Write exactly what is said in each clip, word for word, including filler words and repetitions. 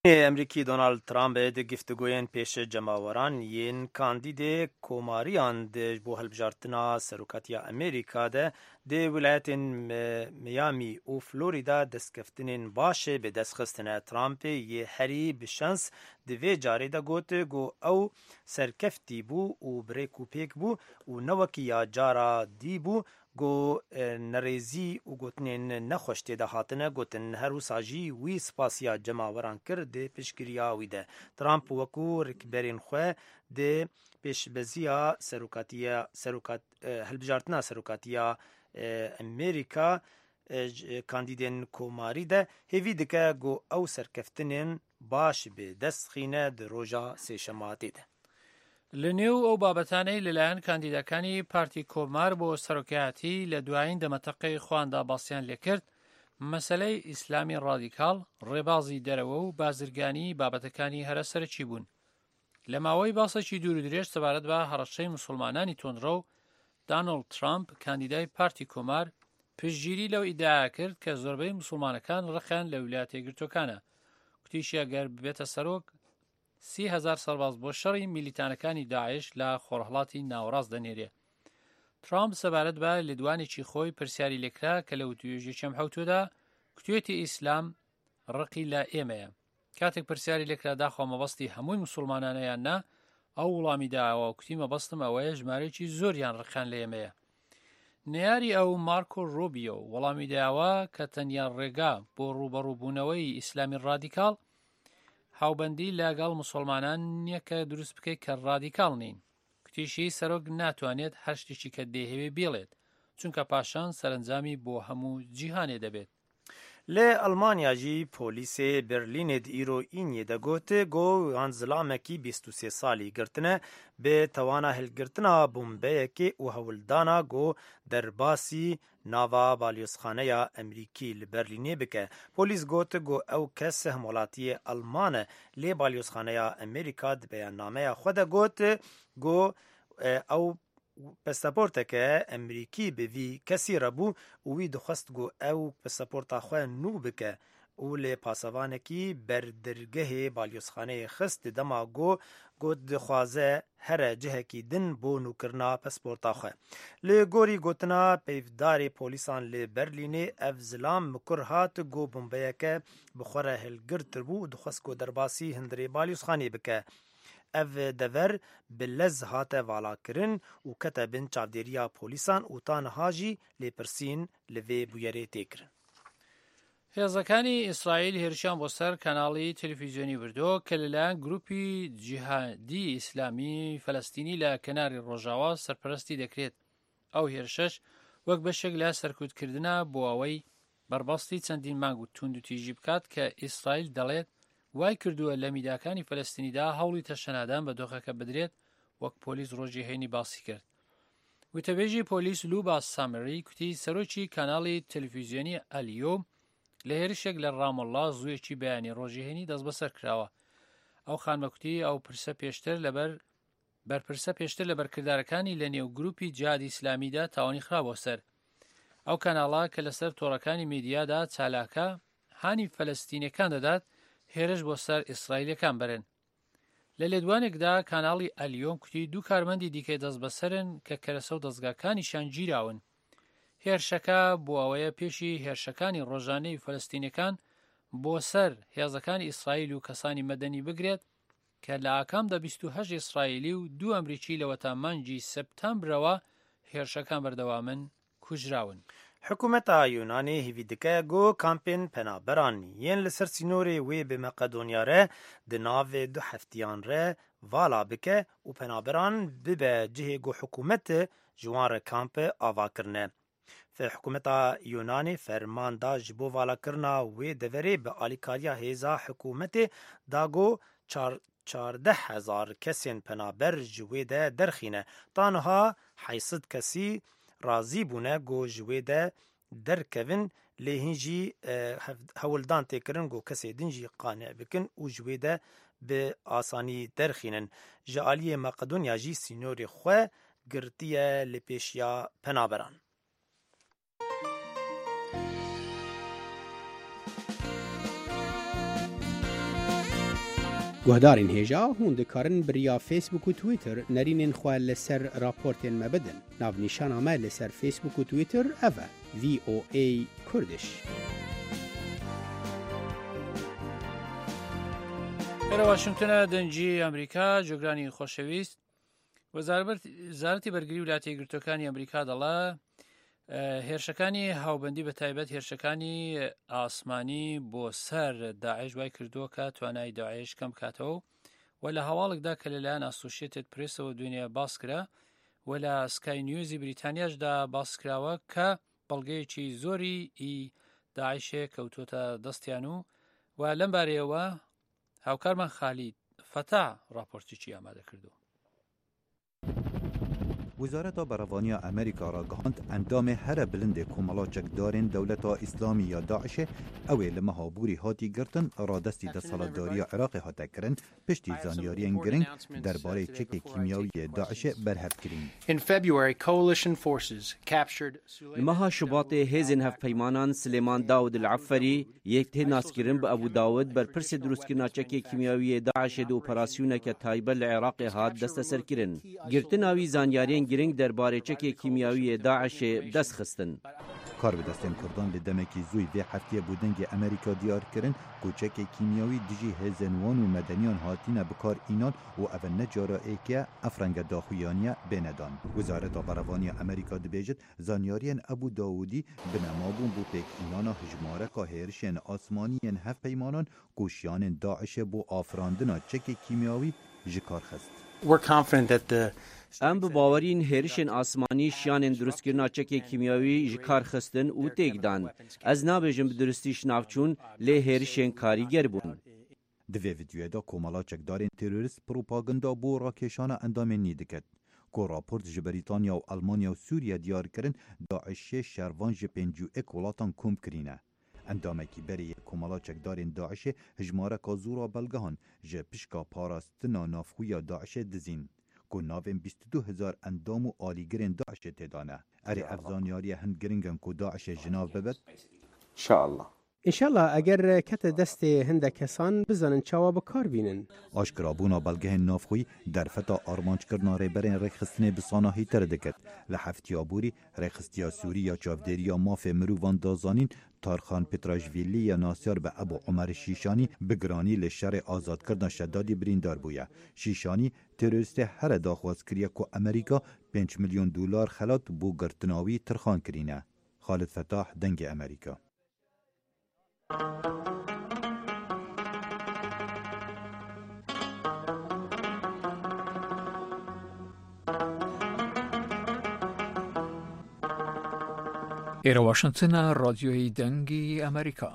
Emrîkî Donald Trump di giftigoyên pêş cemaweran yên kandîdê komariyan de ji bo hilbijartina serokatiya Amerîka de di wilayetên Mi-, Miami û Florida destkeftinên baş bi dest xistine. Trumpê yê herî bi şans di vê carê de got ku ew serkeftî bû û bi rêk û pêk bû û ne wekî ya cara dî bû ku, e, nerêzî û gotinên nexweş tê de hatine gotin. Her wisa jî wî spasiya cemaweran kir di piştgiriya wî de. Trump wekû rikberên xwe di pêşbeziya serokatiya, serokat-, e, hilbijartina serokatiya, e, Amerîka, e, ji kandîdên komarî de hêvî dike ku ew serkeftinên baş bi dest xîne di roja sêşematê de. Li nêw ew babetanەی لەلایەن کاندیدەکانی پارتی کۆمار بۆ سەرۆکایەتی لە دوایین دەمەتەقەی خواندا باسییان لێکرد، مەسەلەی ئیسلامی ڕادیکاڵ، ڕێبازی دەرەوە و بازرگانی بابەتەکانی هەرە سەرەکی بوون. لە ماوەی باسێکی دوور و درێژ سەبارەت بە هەڕەشەی موسڵمانانی تۆندڕەو، دانۆڵد ترامپ، کاندیدای پارتی کۆمار، پشتگیری لەو ئیدعایە کرد کە زۆربەی موسڵمانەکان ڕقیان لە ویلایەتە یەکگرتووەکانە. کوتیشی ئەگەر ببێتە سەرۆک، سی هەزار سەرباز بۆ شەڕی میلیتانەکانی داعش لە خۆرهەڵاتی ناوەڕاست دەنێرێ. ترامپ سەبارەت بە لێدوانێکی خۆی پرسیاری لێکرا کە لە وتوێژێکی ئەم حەوتوودا کوتوێتی ئیسلام ڕقی لە ئێمەیە. کاتێک پرسیاری لێکرا داخوا مەبەستی هەمووی موسڵمانانە یان نا، ئەو وڵامی داوە و کوتی مەبەستم ئەوەیە ژمارەیەکی زۆریان ڕقیان لە ئێمەیە. نەیاری ئەو مارکۆ ڕۆبیۆ وەڵامی داوە کە تەنیا ڕێگا بۆ ڕوبەڕووبوونەوەی ئیسلامی ڕادیکاڵ هاوبەندی لەگەڵ موسڵمانان نییە کە دروست بکەیت کە ڕادیکاڵ نین. کوتیشی سەرۆک ناتوانێت هەر شتێکی کە دەیهەوێ بێڵێت، چونکە پاشان سەرنجامی بۆ هەموو جیهانێ دەبێت. Li Almanya jî polîsê Berlînê di îro îniyê de got, ku yan zilamekî bîst û sê salî girtine, bi tewana hilgirtina bombeyekê û hewldana ku derbasî nava balyozxaneya Emerîkî li Berlînê bike. Polîs got ku ew kes hemwelatiyê Alman e, lê balyozxaneya Amerîka di beyannameya xwe de got ku, e, ew pasaporteke Emerîkî bi vî kesî re bû û wî dixwest ku ew pasaporta xwe nû bike û li pasevanekî berdirgehê balyozxaneyê xist di dema ku got dixwaze here cihekî din bo nûkirina pasporta xwe. Li gorî gotina peyvdarê polîsan li Berlînê, ev zilam mikur hat ku bombeyeke bi xwe re hilgirtibû û dixwest ku derbasî hundirê balyozxanê bike. Ev dever bi lez hate valakirin û kete bin çavdêriya polîsan û ta niha jî lêpirsîn li vê bûyerê tê kirin. هێزەکانی ئیسرائیل هێرشیان بۆ سەر کەناڵی تەلەفیزیۆنی بردووە کە لەلایەن گروپی جیهادی ئیسلامی فەلەستینی لە کەناری ڕۆژاوا سەرپەرستی دەکرێت. ئەو هێرشەش وەک بەشێک لە سەرکوتکردنە بۆ ئەوەی بەربەستی چەندین مانگ و توند و تیژی بکات کە ئیسرائیل دەڵێت وای کردووە لە میداکانی فەلەستینیدا هەوڵی تەشەنادان بە دۆخەکە بدرێت، وەک پۆلیس ڕۆژی هەینی باسی کرد. وتەبێژی پۆلیس لوبا سامری کوتی سەرۆکی کاناڵی تەلەفیزیۆنی ئەلیۆ لە هێرشێک لە ڕامەڵڵا زوویەکی بەیانی ڕۆژی هەینی دەست بەسەر کراوە. ئەو خانمە کوتی ئەو پرسە پێشتر لەبەر بەرپرسە پێشتر لە بەرکردارەکانی لە نێو گروپی جیهادی ئیسلامیدا تاوانی خراوە سەر. ئەو کاناڵە کە لەسەر تۆڕەکانی میدیادا چالاکە، هانی فەلەستینیەکان دەدات هێرش بۆ سەر ئیسرائیلەکان بەرن. لە لێدوانێکدا کاناڵی ئەلیۆن کوتی دوو کارمەندی دیکەی دەست بەسەرن کە کەرەسە و دەستگاکانیشان گیراون. هێرشەکە بۆ ئەوەیە پێشی هێرشەکانی ڕۆژانەی فەلەستینیەکان بۆ سەر هێزەکانی ئیسرائیل و کەسانی مەدەنی بگرێت کە لە ئاکامدا بیست و هەشت ئیسرائیلی و دوو ئەمریکی لەوەتا مانگی سەپتامبرەوە هێرشەکان بەردەوامن کوژراون. حکوومەتا یۆنانê hêvî dike ku kampên penaberan yên li ser sînorê wê bi Meqedonya re di navê du heftiyan re vala bike û penaberan bibe cihê ku hikûmet ji wan re kamp ava kirine. Fe-, hikûmeta Yunanê ferman da ji bo valakirina wê deverê bi alîkariya hêza hikûmetê da ku çar-, çardeh hezar kesên penaber ji wê de derxîne. Ta niha heyşt sed kesî razî bûne ku ji wê de derkevin, lê hîn jî, e, hev-, hewldan tê kirin ku kesê din jî qane bikin û ji wê de bi asanî derxînin. Ji aliyê Makedonya jî sînorê xwe girtiye li pêşiya penaberan. Guhdarên hêja, hûn dikarin bi riya Facebook û Twitter nerînên xwe li ser raportên me bidin. Navnîşana me li ser Facebook û Twitter ev e, V O A Kurdish. Ere Washingtona, dengî Amerîka, cogranî xweşewîst. Wezarber-, Wezareti Bergری Wilayetە یەکگرتووەکانی ئەمریکا دەڵێ، ئە، هێرشەکانی هاوبەندی، بە تایبەت هێرشەکانی ئاسمانی بۆ سەر داعش، وای کردووە کە توانای داعش کەم بکاتەوە و لە هەواڵێکدا کە لەلایەن ئاسۆشیێتد پرێسەوە دوێنێ باس کرا و لە سکای نیوزی بریتانیاشدا باس کراوە کە بەڵگەیەکی زۆری ئی داعشێ کەوتوتە دەستیان و، و لەم بارەیەوە هاوکارمان خالید فەتا راپۆرتێکی ئامادە کردووە. Wezareta Berevaniya Amerîka ragihand, endamê here bilindê Komela Çekdarên Dewleta Îslamî ya DAIŞê, ew ê li meha Borî hatî girtin, radestî desthilatdariya Iraqê hate kirin, piştî zanyariyên giring derbarê çekê kîmyawî yê DAIŞê berhev kirîn. In February, coalition forces captured Li meha Şubatê hêzên hevpeymanan Silêman Dawid El Eferî, yek tê naskirin bi Ebû Dawid, berpirsê dirustkirina çekê kîmyawî yê DAIŞê di operasyoneke taybet li Iraqê hat desteserkirin. Girtina wî zanyariyên giring derbarê çekê kîmyawî yê DAIŞê bi dest xistin. Karbidestên Kurdan li demekî zûyî vê heftiyê bo dengê Amerîka diyar kirin ku çekê kîmyawî dijî hêzên wan û medeniyan hatine bi kar înan û ev ne cara êk e ev renge daxuyaniye bêne dan. Wezareta Berevaniya Amerîka dibêjit, zanyariyên Ebû Dawudî binema bûn bo pêkînana hijmareka hêrişên asmanî yên hevpeymanan ku şiyanên DAIŞê bo afirandina çekê kîmyawî ji kar xist. We're confident that the Em bi bawerîn hêrişên asmanî şiyanên dirustkirina çekê kîmyawî ji kar xistin û têk dan. Ez nabêjim bi duristî ji nav çûn, lê hêrişên karîger bûn. Di vê vîdyoyê de Komela Çekdarên Terorîst propaganda bo rakêşana endamên nî diket, ku raport ji Brîtanya û Elmanya û Sûriye diyar kirin, DAIŞê şervan ji pêncî û yek welatan kom kirîne. Endamekî berê yê Komela Çekdarên DAIŞê hijmareka zû ra belgehan ji pişka parastina navxwe ya DAIŞê dizîn, ku navên bîst û du hezar endam û alîgirên DAIŞê tê de ne. Erê, ev zanyariye hin giring in ku DAIŞê ji nav bibit? İnşallah. Înşallah, eger kete destê hindek kesan, bizanin çawa bi kar bînin. Aşkirabûna belgehên navxweyî derfeta armanckirina rêberên rêkxistinê bi sanahîtir dikit. Li heftiya borî, rêxistiya Sûrî ya çavdêriya mafê mirovan da zanîn, Tarxan Petrajvîlî ya nasyar bi Ebû Omer Şîşanî bi giranî li şerê azadkirina Şedadî birîndar bûye. Şîşanî terorîstê here daxwaz kiriye ku Amerîka pênc milyon dolar xelat bo girtina wî tirxan kirîne. Xalid Fetah, Dengê Amerîka. ئێرە واشنگتنە، ڕادیۆی دەنگی ئەمریکا.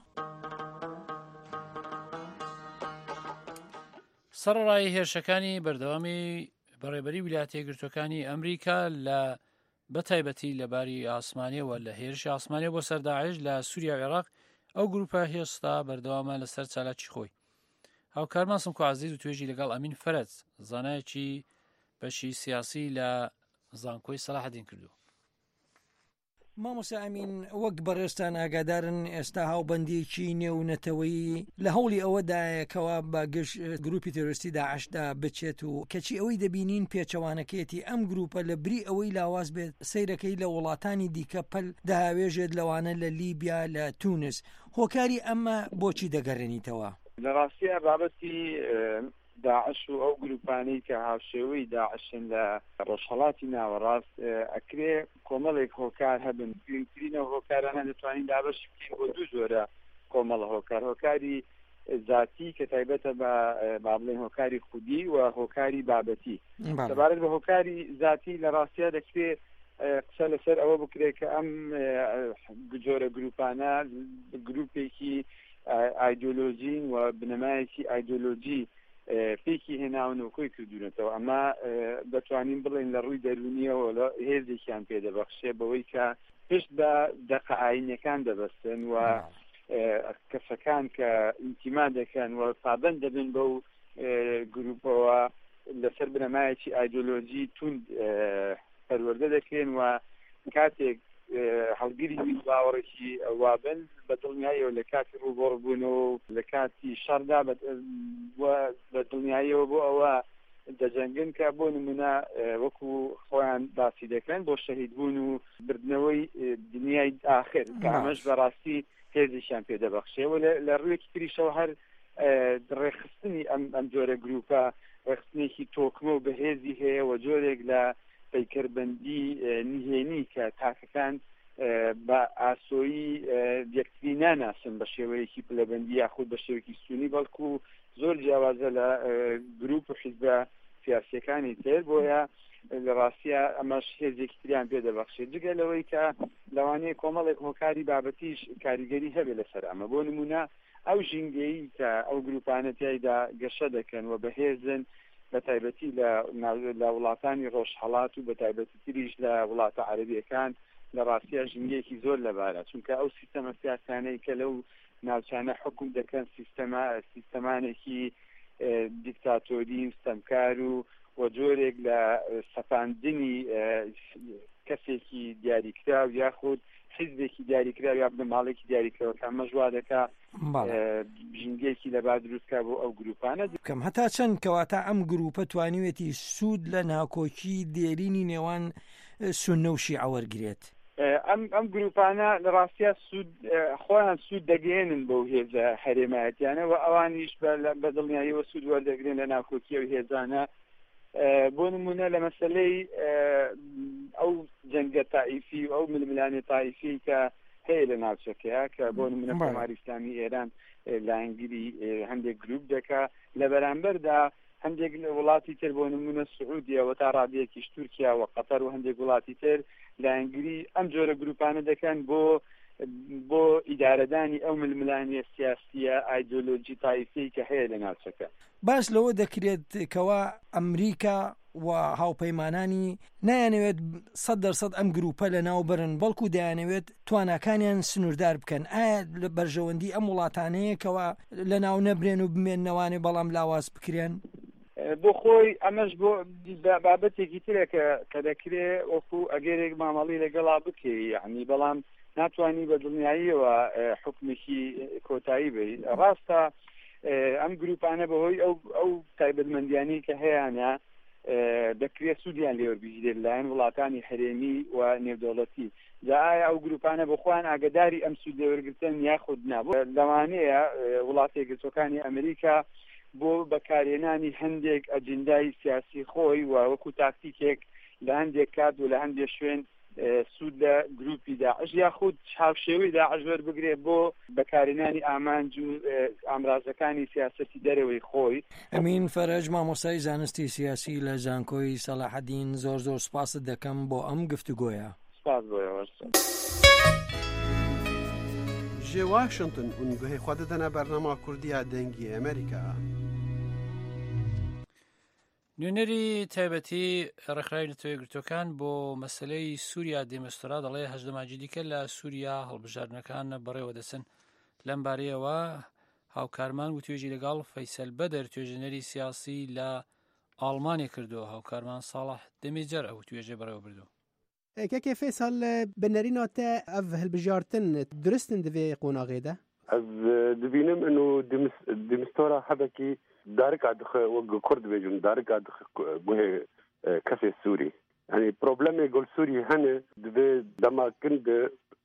سەرەڕای هێرشەکانی بەردەوامی بەڕێبەری ویلایەتە یەکگرتووەکانی ئەمریکا لە بە تایبەتی لە باری ئاسمانیەوە، لە هێرشی ئاسمانیەوە بۆ سەر داعش لە سووریا و عێراق، ئەو گروپە هێشتا بەردەوامە لەسەر چالاکی خۆی. هاوکارمان سمکۆ عەزیز و توێژی لەگەڵ ئەمین فەرەج، زانایەکی بەشی سیاسی لە زانکۆی سەلاحەدین کردووە. مامۆستا ئەمین، وەک بەڕێزتان ئاگادارن، ئێستا هاوبەندیەکی نێونەتەوەیی لە هەوڵی ئەوەدایە کەوا بە گشت گروپی تێرۆریستی داعشدا بچێت و کەچی ئەوەی دەبینین پێچەوانەکەیەتی ئەم گروپە لە بری ئەوەی لاواز بێت سەیرەکەی لە وڵاتانی دیکە پەل دەهاوێژێت، لەوانە لە لیبیا، لە تونس. هۆکاری ئەمە بۆچی دەگەڕێنیتەوە؟ لە ڕاستیە بابەتی، ئە، داعش و ئەو گروپانەی کە هاوشێوەی داعشن لە ڕۆژهەڵاتی ناوەڕاست، ئە، ئەکرێ کۆمەڵێک هۆکار هەبن. گرنگترین ئەو هۆکارانە دەتوانین دابەشی بکەین بۆ دوو جۆرە کۆمەڵە هۆکار. هۆکاری زاتی کە تایبەتە بە، ئە، با بڵێن هۆکاری خودی و هۆکاری بابەتی. بەڵێ. سەبارەت بە هۆکاری زاتی لە ڕاستیە دەکرێ، ئە، قسە لەسەر ئەوە بکرێت کە ئەم، ئە، جۆرە گروپانە گروپێکی، ئە، ئایدۆلۆژین و بنەمایەکی ئایدۆلۆژی، ئە، پێکی هێناون و کۆی کردوونەتەوە. ئەمە، ئە، دەتوانین بڵێن لە ڕووی دەرونیەوە لە هێزێکیان پێدەبەخشێ بەوەی کە پشت بە دەقە ئاینیەکان دەبەستن و، نعم. ئە، کەسەکان کە ئینتیما دەکەن و پابەند دەبن بەو، ئە، گروپەوە لەسەر بنەمایەکی ئایدۆلۆژی توند، ئە، پەروەردە دەکرێن و کاتێک هەڵگری باوەڕێکی وا بن، بە دڵنیاییەوە لە کاتی ڕووبەڕووبوون و لە کاتی شەڕدا بە، بە دڵنیاییەوە بۆ ئەوە دەجەنگن کە بۆ نمونە، ئێ، وەکو خۆیان باسی دەکەن بۆ شەهیدبوون و بردنەوەی، ئێ، دنیای ئاخر، کە ئەمەش بەڕاستی هێزێکیان پێ دەبەخشێ. و لە، لە ڕوویەکی تریشەوە هەر، ئێ، ڕێخستنی ئەم، ئەم جۆرە گروپە ڕێخستنێکی تۆکمە و بەهێزی هەیە و جۆرێک لە پەیکەربەندی، ئێ، نهێنی کە تاکەکان، ئێ، بە ئاسۆیی، ئێ، یەکتری ناناسن بە شێوەیەکی پلەبەندی یاخود بە شێوەیەکی سونی، بەڵکو زۆر جیاوازە لە، ئێ، گروپ و حیزبە سیاسیەکانی تر. بۆیە لە ڕاستیە ئەمەش هێزێکی تریان پێ دەبەخشێت، جگە لەوەی کە لەوانەیە کۆمەڵێک هۆکاری بابەتیش کاریگەری هەبێ لەسەر ئەمە. بۆ نمونە ئەو ژینگەیی کە ئەو گروپانە تیایدا گەشە دەکەن و بەهێزن، بە تایبەتی لە ناو-، لە وڵاتانی ڕۆژهەڵات و بە تایبەتی تریش لە وڵاتە عەرەبیەکان، لە ڕاستیە ژینگەیەکی زۆر لەبارە، چونکە ئەو سیستەمە سیاسانەی کە لەو ناوچانە حکوم دەکەن سیستەما-، سیستەمانێکی، ئێ، دیکتاتۆری و ستەمکار و، و جۆرێک لە، ئێ، سەپاندنی، ئێ، کەسێکی دیاریکراو یاخود حیزبێکی دیاریکراو یا بنەماڵێکی دیاریکراو کە ئەمە ژوا دەکا، بەڵێ. ئێ، ژینگەیەکی لەبار دروستکا بۆ ئەو گروپانە. بکەم هەتا چەند کەواتە ئەم گروپە توانیوێتی سوود لە ناکۆکی دێرینی نێوان، ئێ، سونە و شیعە وەرگرێت؟ ئێ، ئەم، ئەم گروپانە لە ڕاستیا سوود، ئێ، خۆیان سوود دەگەێنن بەو هێزە هەرێمایەتیانە و ئەوانیش بە، لە، بە دڵنیاییەوە سوود وەردەگرن لە ناکۆکی ئەو هێزانە. ئێ، بۆ نمونە لە مەسەلەی، ئێ، ئەو جەنگە تائیفی و ئەو ململانێ تائیفی کە هەیە لە ناوچەکەیە، کە بۆ نمونە بەڵێ. کۆماری ئیسلامی ئێران، ئێ، لایەنگری، ئێ، هەندێک گروپ دەکا. لە بەرامبەردا هەندێک لە وڵاتی تر، بۆ نمونە سعودیە و تا ڕادەیەکیش تورکیا و قەتەر و هەندێک وڵاتی تر لایەنگری ئەم جۆرە گروپانە دەکەن بۆ، بۆ ئیدارەدانی ئەو ململانیە سیاسیە ئایدۆلۆژی تایفی کە هەیە لە ناوچەکە. باس لەوە دەکرێت کەوا ئەمریکا و هاوپەیمانانی نایانەوێت سەد دەرسەد ئەم گروپە لە ناو برن، بەڵکو دەیانەوێت تواناکانیان سنووردار بکەن. ئایا لە بەرژەوەندی ئەم وڵاتانەیە کەوا لە ناو نەبرێن و بمێننەوانێ بەڵام لاواز بکرێن؟ بۆ خۆی ئەمەش بۆ بابەتێکی ترە کە، کە دەکرێ وەکو ئەگەرێک مامەڵی لەگەڵا بکەی، یعنی، بەڵام ناتوانی بە دڵنیاییەوە، ئێ، حکمێکی کۆتایی بی. ڕاستە، ئێ، ئەم گروپانە بەهۆی ئەو، ئەو تایبەتمەندیانی کە هەیەە، ئێ، دەکرێت سوودیان لێوەربگیرێت لەلایەن وڵاتانی هەرێمی و نێودەوڵەتی. جا ئایا ئەو گروپانە بۆ خۆیان ئاگداری ئەم سوود لێوەرگرتن یاخود نا؟ بۆ لەوانەیە، ئێ، وڵاتە یەکگرتوەکانی ئەمریکا بۆ بەکارهێنانی هەندێک ئەجندای سیاسی خۆی و وەکو تاکتیکێک لە هەندێک کات و لە هەندێک شوێن، ئێ، سوود لە گروپی داعش یاخود هاوشێوەی داعش وەربگرێ بۆ بەکارهێنانی ئامانج و، ئێ، ئامرازەکانی سیاسەتی دەرەوەی خۆی. ئەمین فەرەج، مامۆستای زانستی سیاسی لە زانکۆی سەلاحەدین، زۆر زۆر سپاست دەکەم بۆ ئەم گفتوگۆیە. سپاس بۆ ئێوەش. Ji Washington hûn guhê xwe didine bernama Kurdî ya Dengê Amerîka. نوێنەری تایبەتی ڕێکخراوی نەتەوە یەکگرتووەکان بۆ مەسەلەی سووریا دێمستۆرا دەڵێ هەشت مانگی دیکە لە سووریا هەڵبژاردنەکان بەڕێوە دەچن. لەم بارەیەوە هاوکارمان وتوێژی لەگەڵ فەیسەل بەدەر، توێژینەری سیاسی لە ئاڵمانێ کردووە. هاوکارمان ساڵح دەمێجەر ئەو توێژە بەڕێوە بردووە. Kekê Fêsal, bi nerîna te ev hilbijartin durist in di vê qonaxê de? Ez, e, dibînim ino dimis-, dimistora hebekî darika dixe, wek ku Kurd dibêjin, darika dixe ku-, guhê, e, kesê Sûrî. Yanî problemê gol Sûrî hene, divê dema kin de,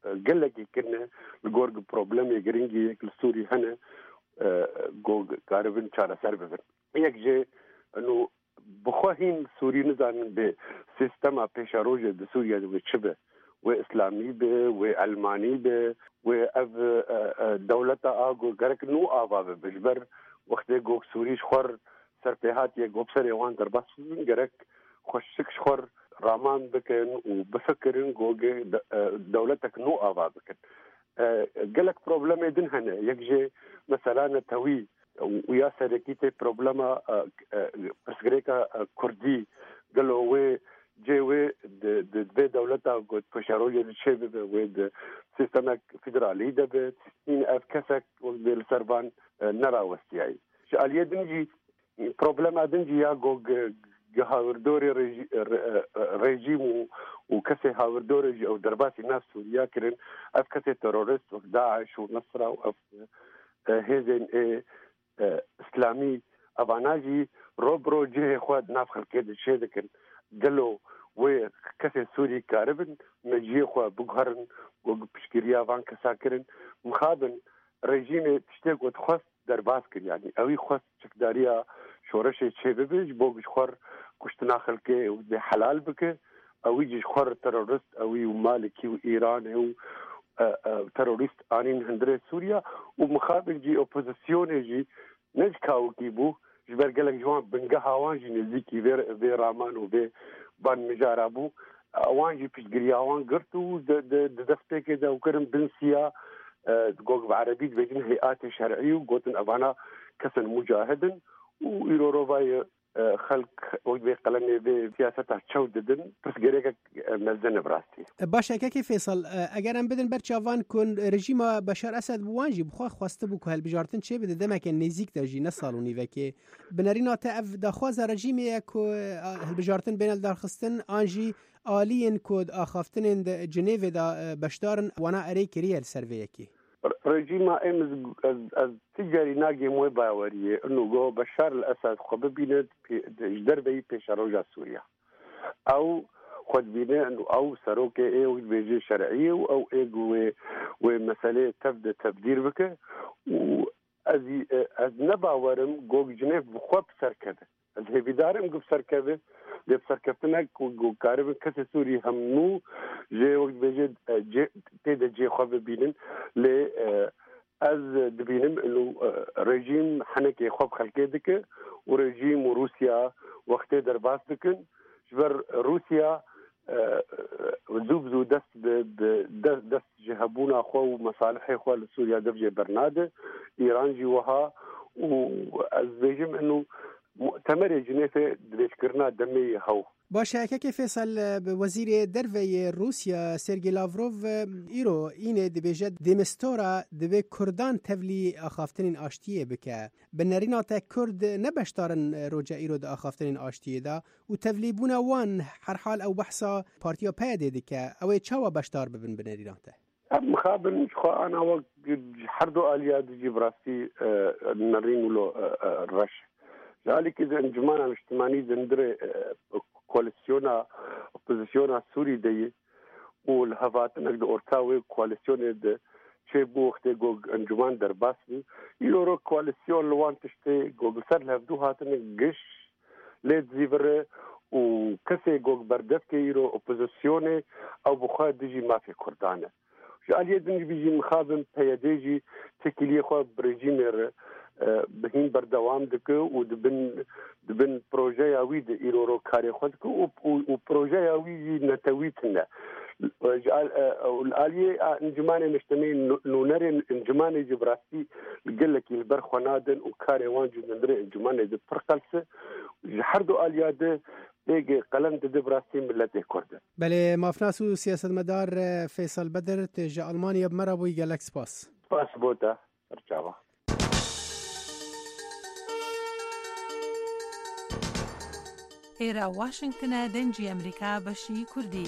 e, gelekî kin e, li gor ku problemê giringî yek li Sûrî hene, e, ku karibin çareser bibin. Yek jê ino bi xwe hîn Sûrî nizanin bi sîstema pêşerojê di Sûriyê de wê çi be. Wê îslamî be, wê elmanî be, wê ev, e, e, dewleta a ku gerek nû ava bibe. Ji ber wextê ku Sûrî ji xwe r ser pê hatiye, ku bi serê wan derbas bibin, gerek xweşik ji xwe r raman bikin û bifikirin ku ge-, de-, e, dewletek nû ava bikin. E, gelek problemê din hene. Yek jê mesela netewî û ya serekî tê problema, e, e, pirsgirêka, e, Kurdî, gelo wê cê wê di, di vê dewleta ku pêşerojê di çê bibe, wê di sîstemek federalî de be, hîn ev kesek wek bê li ser van, e, nerawestiyayî. Ji aliyê din jî problema din jî ya ku ge-, hawirdorê rejî-, re-, e, rejîm û, û kesê hawirdorê jî ew derbasî nav Sûriya kirin. Ev kesê terorist wek DAIŞ û Nesra û ev, e, hêzên ê, e, îslamî, evana jî ro bi ro cihê xwe di nav xelkê de çê dikin. Gelo wê kesê Sûrî karibin me cihê xwe biguherin, ku piştgiriya van kesa kirin? Mixabin rejîmê tiştê ku dixwest derbas kir. Yanî ewî xwest çekdariya şoreşê çêbibe, ji bo ji xwe kuştina xelkê û dê helal bike. Ewî jî ji xwe re terorist, ewî û Malikî û Îranê û, e, e, terorîst anîn hundirê Sûriya û mixabin jî opozisyonê jî ne ji kawikî bû, ji ber gelek ji wan bingeha wan jî nêzîkî vê, vê raman û vê van mijara bû. Wan jî piştgiriya wan girt û di, di, di destpêkê de ew kirin bin siya, e, gog bi erebî dibêjin heyatê şer'î û gotin evana kesin mucahid in û îro rovayê, e, xelk wek vê qelemê vê siyaseta çew didin, pirsgirêkek, e, mezin e bi rastî. Baş e, Kekê Fêsal, e, eger em bidin ber çavan ku rejîma Beşar Esed bi wan jî bi xwe xwestibû ku hilbijartin çêbide demeke nêzîk de jî ne sal û nîvekê. Bi nerîna te ev daxwaza rejîmê ye ku, e, hilbijartin bêne lidarxistin an jî aliyên ku di axaftinên di Cinêvê de, e, beşdar in, wana erê kiriye li ser vê yekê? Rejîma em ez, ez, ez ti carî nagêm wê baweriyê. Ino go Beşar el Esed xwe bibîne pê-, ji derveyî pêşeroja Sûriya. Ew xwe dibîne, ino ew serokê ê wek dibêje şer'î ye û ew ê ku wê, wê meseleyê tev de tevdîr bike û ez, ez ne bawerim go Cinêv bi xwe bi ser keve. Ez hêvîdar im ku bi ser keve, lê bi serkeftinek ku, ku karibin kesê Sûrî hem nû jê wek dibêje, e, cê, tê de cê xwe bibînin. Lê, e, ez dibînim ino, e, rejîm henekê xwe bi xelkê dike û rejîm û Rûsya wextê derbas dikin. Ji ber Rûsya, e, zû bi zû dest bi, bi de-, dest ji hebûna xwe û mesalihê xwe li Sûriya dev jê bernade. Îran jî wiha û ez dibêjim ino mu'temerê Cinêfê dirêjkirina demê yê hew. Baş e, Kekê Fêsal, bi wezîrê derve yê Rûsya Sergey Lavrov îro înê dibêje, Demistora divê Kurdan tevlî axaftinên aştiyê bike. Bi nerîna te Kurd ne beşdar in roja îro di axaftinên aştiyê de û tevlîbûna wan herhal ew behsa Partiya PYD'ê dike. Ew ê çawa beşdar bibin bi nerîna te? Em mixabin ji xwe ana wek ji her du aliya dijî bi rastî, e, nerîn û lo, e, e, reş. Ji alîkî di encûmena niştimanî di hundirê, e, koalîsyona opozisyona Sûrî de ye û li hevhatinek di orta wê koalîsyonê de çêbû wextê ku encûman derbas bû. Îro ro koalîsyon li wan tiştê ku li ser li hevdû hatine giş lê dizîvire û kesê ku berdevkê îro opozisyonê ew bi xwe dijî mafê Kurdan e. Ji aliyê din jî mixabin PYD jî têkiliyê xwe bi rejîmê re, e, bi hîn berdewam dike û di bin, di bin projeya wî de îro ro karê xwe dike û, û, û projeya wî jî netewî tune. Ji al-, e, û li aliyê, a, encûmanê niştimanî nû-, nûnerên encûmanê jî bi rastî gelekî li ber xwe nadin û karê wan jî di hundirê encûmanê de pir qels e. Ji her du aliya de êgê qelem dide bi rastî miletê Kurd e. Belê, mafnas û siyasetmedar, e, Feysel Bedir, tu ji Almanya bi me re bûyî, gelek spas. Spas bo te, her çawa. Êra Washington e, Dengê Amerîka, beşî Kurdî.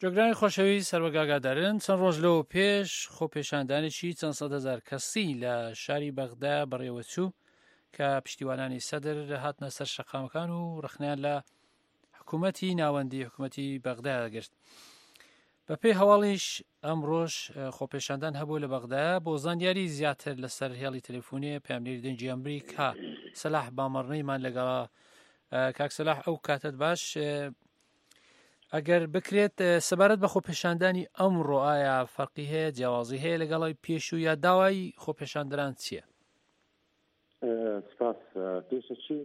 جۆگرانی خۆشەویست، هەروەگە ئاگادارن، چەند ڕۆژ لەوە پێش خۆپێشاندانێکی چەند سەد هەزار کەسی لە شاری بەغدا بەڕێوەچوو کە پشتیوانانی سەدر هاتنە سەر شەقامەکان و ڕەخنەیان لە حکوومەتی ناوەندی، حکوومەتی بەغدا گرت. بە پێی هەواڵیش ئەمڕۆش، ئە، خۆپێشاندان هەبوو لە بەغدا. بۆ زانیاری زیاتر لەسەر هێڵی تەلەفۆنی پەیامنێری دەنگی ئەمریکا، سەلاح بامەڕنەیمان لەگەڵا. ئە، کاک سەلاح، ئەو کاتت باش. ئە، ئەگەر بکرێت، ئە، سەبارەت بە خۆپێشاندانی ئەمڕۆ، ئایا فەرقی هەیە، جیاوازی هەیە لەگەڵ ئەوی پێشوو، یا داوای خۆپێشاندەران چییە؟ ئە، سپاس. ئە، پێشەچی،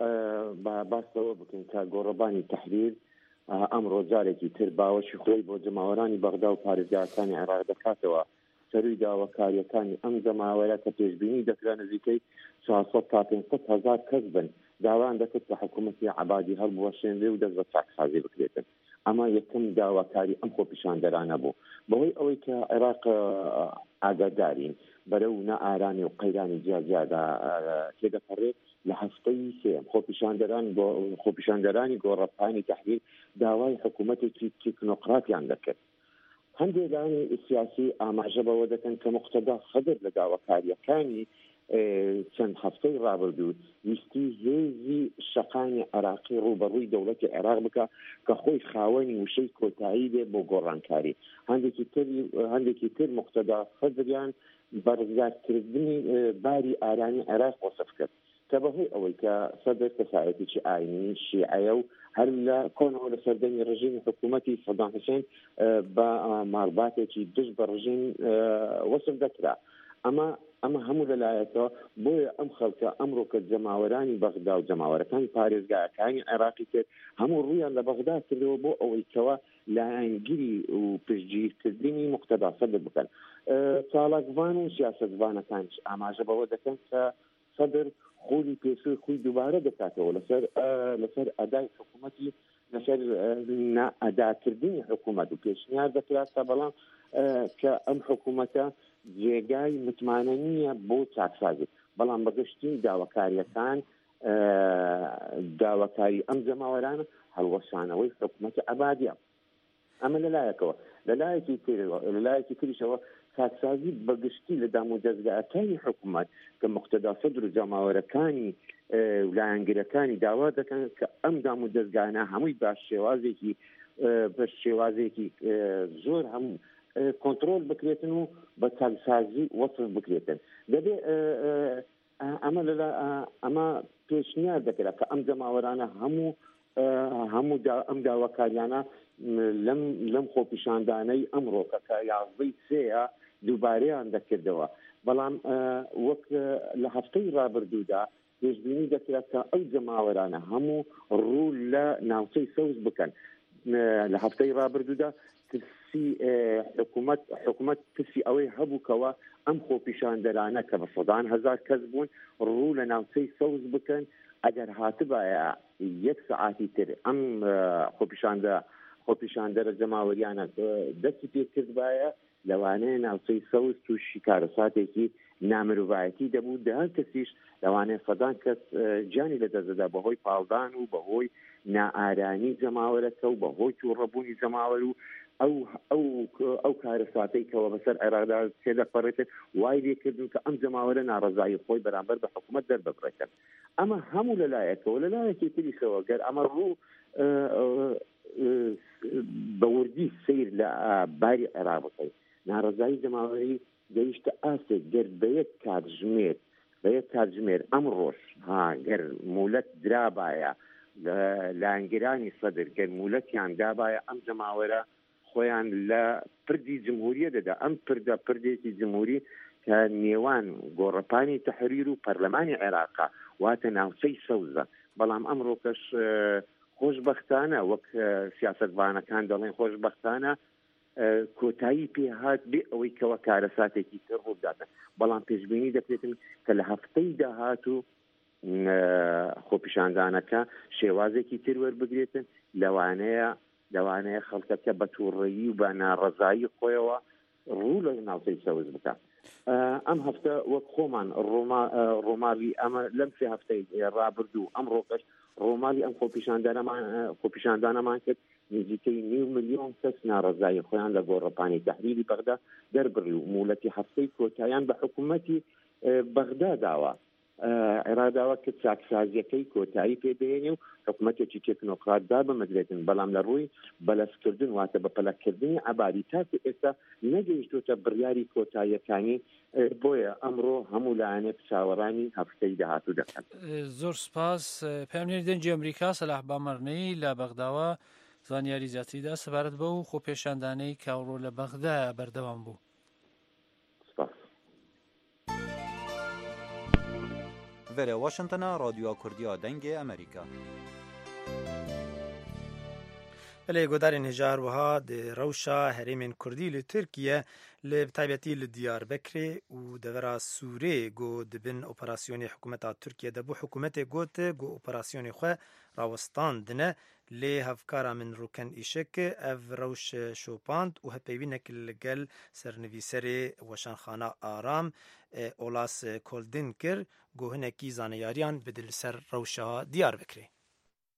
ئە، با-، باس لەوە بکەین کە گۆڕەبانی تەحریر، ئە، ئەمڕۆ جارێکی تر باوەشی خۆی بۆ جەماوەرانی بەغدا و پارێزگاکانی عێراق دەکاتەوە. سەرووی داواکاریەکانی ئەم جەماوەرە کە پێشبینی دەکرا نزیکەی چوار سەد تا پێنج سەد هەزار کەس بن، داوایان دەکرد کە حکوومەتی عەبادی هەڵبوەشێنرێ و دەست بە چاکسازی بکرێتن. ئەمە یەکەم داواکاری ئەم خۆپیشاندەرانە بوو. بەهۆی ئەوەی کە عێراق، ئە، ئاگادارین بەرەو نەئارامی و قەیرانی جیاجیادا تێدەپەڕێت. لە هەفتەی سێیەم خۆپیشاندەران گۆ-، خۆپیشاندەرانی گۆڕەپانی تەحریر داوای حکوومەتێکی تیکنۆقراتیان دەکرد. هەندێک لایەنی سیاسی ئاماژە بەوە دەکەن کە مقتەدا سەدر لە داواکاریەکانی، ئێ، چەند هەفتەی ڕابردوو ویستی هێزی شەقامی عێراقی ڕوبەڕووی دەوڵەتی عێراق بکە کە خۆی خاوەنی وشەی کۆتایی بێ بۆ گۆڕانکاری. هەندێکی تر، هەندێکی تر مقتەدا سەدریان بە ڕزگارکردنی، ئێ، باری ئارامی عێراق وەسف کرد کە بەهۆی ئەوەی کە سەدر کەسایەتێکی ئاینی شیعەیە و هەر لە کۆنەوە لە سەردەمی ڕژیمی حکوومەتی سەدام حوسێن، ئێ، بە، ئا، مارباتێکی دژ بە ڕژیم، ئێ، وەسف دەکرا. ئەمە، ئەمە هەموو لەلایەکەوە. بۆیە ئەم خەڵکە ئەمڕۆکە جەماوەرانی بەغدا و جەماوەرەکانی پارێزگاکانی عێراقی تر هەموو ڕوویان لە بەغدا کردەوە بۆ ئەوەی کەوا لایەنگیری و پشتگیرکردنی مقتەدا سەدر بکەن. ئێ، چالاکڤان و سیاسەتڤانەکانش ئاماژە بەوە دەکەن کە سەدر خولی پێشووی خۆی دووبارە دەکاتەوە لەسەر، ئێ، لەسەر ئەدای حکوومەتی، لەسەر، ئێ، نائەداکردنی حکوومەت و پێشنیار دەکرا کە بەڵام، ئێ، کە ئەم حکوومەتە جێگای متمانە نییە بۆ چاکسازی. بەڵام بەگشتی داواکاریەکان، ئێ، داواکاری ئەم جەماوەرانە هەڵوەشانەوەی حکوومەتی عەبادیە. ئەمە لە لایەکەوە. لە لایەکی تر، لە لایەکی تریشەوە چاکسازی بەگشتی لە دام و دەزگاکانی حکوومەت کە مقتەدا سەدر و جەماوەرەکانی، ئێ، و لایەنگرەکانی داوا دەکەن کە ئەم دام و دەزگانە هەمووی بە شێوازێکی، ئێ، بە شێوازێکی، ئێ، زۆر هەموو، ئێ، کۆنترۆل بکرێتن و بە چاکسازی وەسف بکرێتن. دەبێ، ئێ، ئێ، ئە-، ئەمە لەلا-، ئە-، ئەمە پێشنیار دەکرا کە ئەم جەماوەرانە هەموو، ئە، هەموو دا-، ئەم داواکاریانە، م، لەم، لەم خۆپیشاندانەی ئەمڕۆکە کە یازدەی سێیە دووبارەیان دەکردەوە. بەڵام، ئە، وەک، ئە، لە هەفتەی ڕابردوودا پێشبینی دەکرا کە ئەو جەماوەرانە هەموو ڕوو لە ناوچەی سەوز بکەن. ئە، لە هەفتەی ڕابردوودا ترسی، ئێ، حکوومەت، حکوومەت ترسی ئەوەی هەبوو کەوا ئەم خۆپیشاندەرانە کە بە سەدان هەزار کەس بوون، ڕوو لە ناوچەی سەوز بکەن. ئەگەر هاتبایە یەک سەعاتی تر ئەم، ئێ، خۆپیشاندە-، خۆپیشاندەرە جەماوەریانە، ئێ، دەستی پێ کردبایە، لەوانەیە ناوچەی سەوز تووشی کارەساتێکی نامرۆڤایەتی دەبوو. دە هەر کەسیش لەوانەیە سەدان کەس، ئێ، گیانی لەدەست دەدا بەهۆی پاڵدان و بەهۆی نائارامی جەماوەرەکە و بەهۆی تووڕەبوونی جەماوەر و ئەو، ئەو، ئەو کارەساتەی کەوە بەسەر عێراقدا تێدەپەڕێتن، وای لێکردن کە ئەم جەماوەرە ناڕەزایی خۆی بەرامبەر بە حکوومەت دەرببڕێتن. ئەمە هەموو لەلایەکەوە، لەلایەکی تریشەوە گەر ئەمە ڕوو، ئە، ئە، ئە، بە وردی سیر لە، ئە، باری عێراق بکەین، ناڕەزایی جەماوەری گەیشتە ئاستێک گەر بە یەک کاتژمێر، بە یەک کاتژمێر ئەم ڕۆژ، ها، گەر مولەت درابایە، لە لایەنگرانی سەدر گەر مولەتیان دابایە، ئەم جەماوەرە خۆیان لە پردی جمهوریە دەدا. ئەم پردە پردێکی جمهوری کە نێوان گۆڕەپانی تەحریر و پەرلەمانی عێراقە، واتە ناوچەی سەوزە. بەڵام ئەمڕۆکەش، ئە، خۆشبەختانە، وەک، ئە، سیاسەتڤانەکان دەڵێن، خۆشبەختانە، ئە، کۆتایی پێ هات بێ ئەوەی کەوە کارەساتێکی تر ڕوو بداتن. بەڵام پێشبینی دەکرێتن کە لە هەفتەی داهاتوو، ئە، خۆپیشاندانەکە شێوازێکی تر وەربگرێتن، لەوانەیە، لەوانەیە خەڵکەکە بە تووڕەیی و بە ناڕەزایی خۆیەوە ڕوو لە ناوچەی سەوز بکە. ئە، ئەم هەفتە وەک خۆمان ڕۆما-، ئە، ڕۆماڵی ئەمە لەم سێ هەفتەی ڕابردوو، ئەم ڕۆکەش ڕۆماڵی ئەم خۆپیشاندانەمان، ئە، خۆپیشاندانەمان کرد. نزیکەی نیو ملیۆن کەس ناڕەزایی خۆیان لە گۆڕەپانی تەحریری بەغدا دەربڕی و مولەتی هەفتەی کۆتاییان بە حکوومەتی، ئە، بەغدا داوە. ئە، عێراق داوا کرد چاکسازیەکەی کۆتایی پێ بهێنێ و حکوومەتێکی تێکنۆکرات دابمەزرێتن، بەڵام لە ڕووی بەلەسکردن، واتە بە پەلەکردنی عەبادی، تاکو ئێستا نەگەیشتوتە بڕیاری کۆتاییەکانی. ئە، بۆیە ئەمڕۆ هەموو لایەنێک چاوەڕانی هەفتەی داهاتوو دەکەن. زۆر سپاس. پەیامنێری دەنگی ئەمریکا سەلاح بامەرنەی لە بەغداوە زانیاری زیاتری دا سەبارەت بەو خۆپێشاندانەی کە ئەوڕۆ لە بەغدا بەردەوام بوو. سپاس. Vere Washingtona, Radyoya Kurdiya Dengê Amerîka. Belê, guhdarên hêja, her wiha di rewşa herêmên Kurdî li Tirkiye, li, bi taybetî li Diyarbekirê û devera Sûrê, ku di bin operasyonê hikûmeta Tirkiye de bû, hikûmetê got ku operasyonê xwe rawestandine, lê hevkara min Rûken Îşek ev rewş şopand û hevpeyvînek li gel sernivîserê Weşanxana Aram, e, Olas Koldin kir, ku hinekî zaneyariyan bide li ser rewşa Diyarbekirê.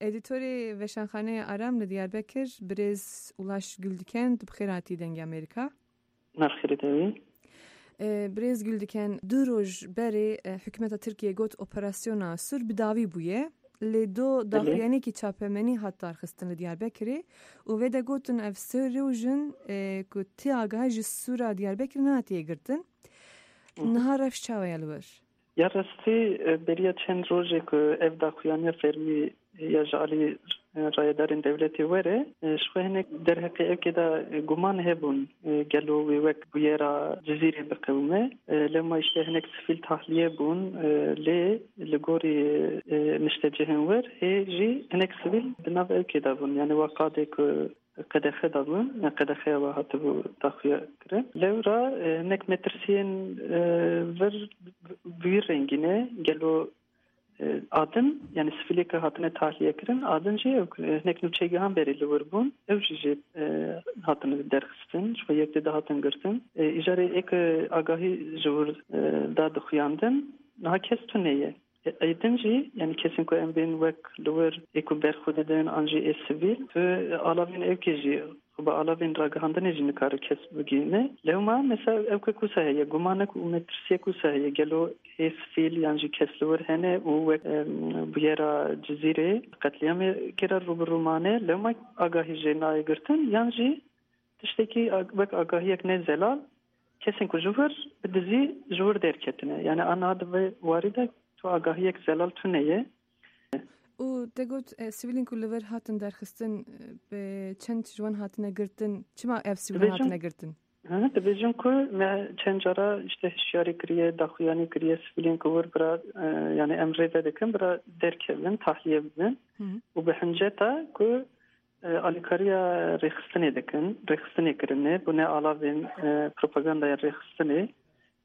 Edîtorê Veşanxaneyê Aram li Diyarbekir, birêz Ulaş Güldiken, tu bi xêr hatî Dengê Amerîka. Merhaba, Dengê. E, birêz Güldiken, du roj berê, e, hikûmeta Tirkiye got operasyona Sûr bi dawî bûye. Lê do Belê. daxuyaniyekî çapemenî hat darxistin li Diyarbekirê û vê de gotin ev sê roj in, e, ku ti agahî ji Sûra Diyarbekirê nehatiye girtin. Hı hı. Niha rewş çawa ye li wir? Ya rastî, e, beriya çend rojê ku ev daxuyaniya fermî ya ji alî, e, rayedarên dewletê were, e, ji xwe hinek derheqê ewkê de, e, guman hebûn, e, gelo wê wek bûyera Cizîrê biqewime. E, lema îşte hinek sivîl tahliye bûn, e, lê li gorî, e, niştecihên wir hê jî hinek sivîl di nav ewkê de bûn. Yani wa qadê ku qedexe dabûn, qedexeya we hatibû daxuya kirin. Lewra, e, hinek metirsiyên, e, vir bi wî rengî ne, gelo, e, a din, yani sivîlê ke hatine tahliye kirin, a din jî ew, e, hinek nûçegihan berê li wir bûn, ew jî jê, e, hatine derxistin, ji xwe yek tê de hatin girtin. E, îcarê ê ke agahî ji wir, e, da dixuyandin, niha kes tune ye. Ê din jî, yani kesên ku em bên wek li wir ê ku berxwe didin an jî ê sivîl, tu alavên ewkê jî, xwe bi alavên ragihandinê jî nikare kes bigihîne. Lewma, mesela, ewkek wisa heye, gumanek û metirsiyek wisa heye, gelo ê sivîl yan jî kes li wir hene û wek, em, bûyera Cizîrê qetlîamê kê re rû bi rû mane, lewma agahî jê nayê girtin, yan jî tiştekî ag-, wek agahiyek ne zelal, kesên ku ji wir bi dizî ji wir derketine. Yani a niha di vê warî de tu agahiyek zelal tune ye. Û te got, e, sivîlên ku li vir hatin derxistin, e, bi çend ji wan hatine girtin? Çima ev sivîl Dibêjin, hatine girtin? Hı, dibêjin ku me çend cara işte hişyarî kiriye, daxuyanî kiriye, sivîlên ku wir bira, e, yani em rê vedikin, bira derkevin, tahliye bibin. Hı hı. Û bi hinceta ku e, alîkariya rêxistinê dikin, rêxistinê kirine, bûne alavên, e, propagandaya rêxistinê.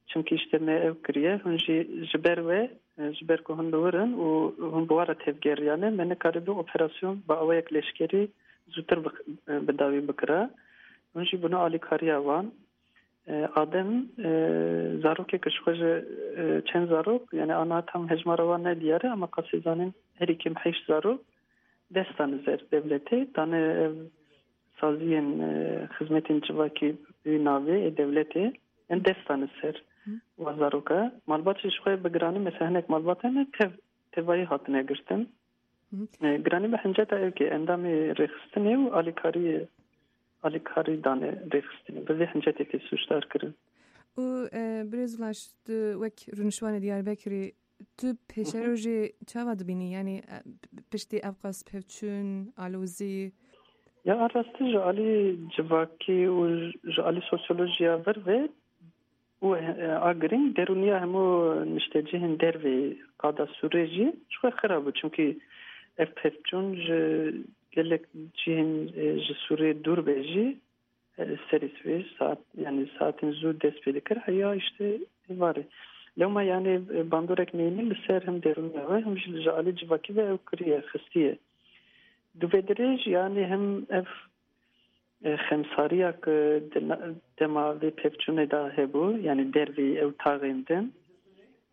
Çimkî işte me ew kiriye, hûn jî ji ber we, e, ji ber ku hûn li wir in û hûn bi wan re tevgeriyane, me nikaribû operasyon bi awayek leşkerî zûtir bi, e, bi dawî bikira. Hûn jî bûne alîkariya wan. E, Adem, e, zarokek ji xwe ji, e, çend zarok, yani ana tam hejmara wan ne diyar e, ama qasê zanîn herî kêm heşt zarok dest dane ser dewletê, dane ev saziyên, e, xizmetên civakî wî navê ê dewletê, yani dest dane ser Hı. wa zaroka. Malbat jî ji xwe bi giranî, mesela hinek malbat hene tev, tevayî hatine girtin. Hı hı. E, giranî bi hinceta ewkê endamê rêxistinê û alîkarî, alîkarî dane rêxistinê. Bi vê hincetê tê sûcdar kirin. Û, e, birêz Ulaş, tu wek rûniştvanê Diyarbekirê, tu Hı hı. pêşerojê çawa dibînî? Yani, e, p-, piştî ev qas pevçûn, alozî? Ya a rastî ji alî civakî û ji alî sosyolojiya vir ve û, e, a girîng derûniya hemû niştecihên dervê qada Sûrê jî ji xwe xira bû. Çimkî ev pevçûn ji gelek cihên, e, ji Sûrê dûr be jî, e, serî sibê saet, yani saetên zû dest pê dikir, heya işte êvarê. Lewma yani, e, bandorek neyînî li ser him derûniya we, him jî ji alî civakî ve ew kiriye, xistiye. Dûvedirêj yani him ev e, xemsariya ku di na-, dema vê pevçûnê de hebû, yani derveyî ew taxên din.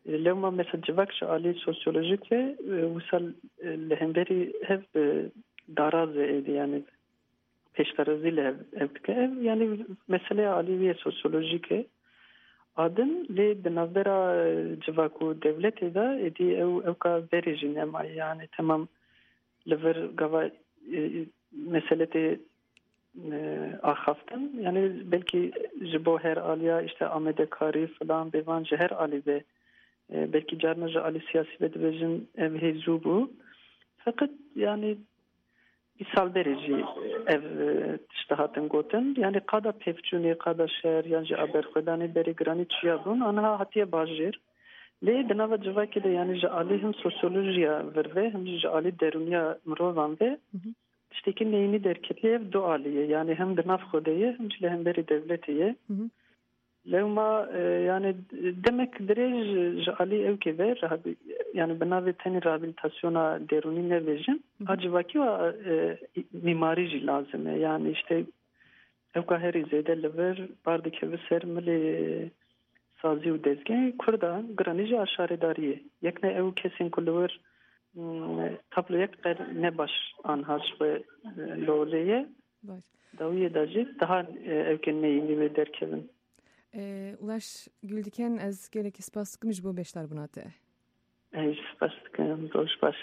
E, lewma mesela civak ji alî sosyolojik ve, e, wisa, e, li hemberî hev, e, daraz e êdî, yani pêşdarazî li hev, hev dike. Ev, yani meseleya alî wê sosyolojik e. A din lê di navbera, e, civak û dewletê de êdî ew, ewka verê jî nemaye. Yani temam li vir gava, e, mesele tê, e, axaftin. Yani belkî ji bo her aliya işte amadekarî filan bêvan ji her alî ve, e, belkî carna ji alî siyasî ve dibêjin ev hê zû bû. Feqet yani îsal berê jî ev, e, tişt hatin gotin. Yani qada pevçûnê, qada şer yan jî a berxwedanê berê giranî çiya bûn. Aniha hatiye bajêr. Lê di nava civakê de yani ji alî him sosyolojiya vir ve, him jî ji alî derûniya mirovan ve Hı hı. Tiştekî neyînî derketiye, ev du alî ye. Yanî hem di nav xwe de ye, hem jî li hemberî dewletê ye. Hı hı. Lewma, e, yanî demek dirêj ji alî ewkê ve rehabi-, yanî bi navê tenê rehabilitasyona derûnî nebêjin. Hı hı. A civakî wa, e, mîmarî jî lazim e. Yanî işte ewka herî zêde li vir bar dikeve ser milê sazî û dezgehê Kurda, giranî jî a şaredariyê. Yek ne ew kesên ku li wir, mm, tabloyek qer ne baş anha ji xwe, e, li holê ye. Baş. Dawiyê de jî daha, e, ewkên neyînî wê derkevin. E, Ulaş Güldiken, ez gelekî spas dikim ji bo beşdarbûna te. Ez spas dikim. Roj baş.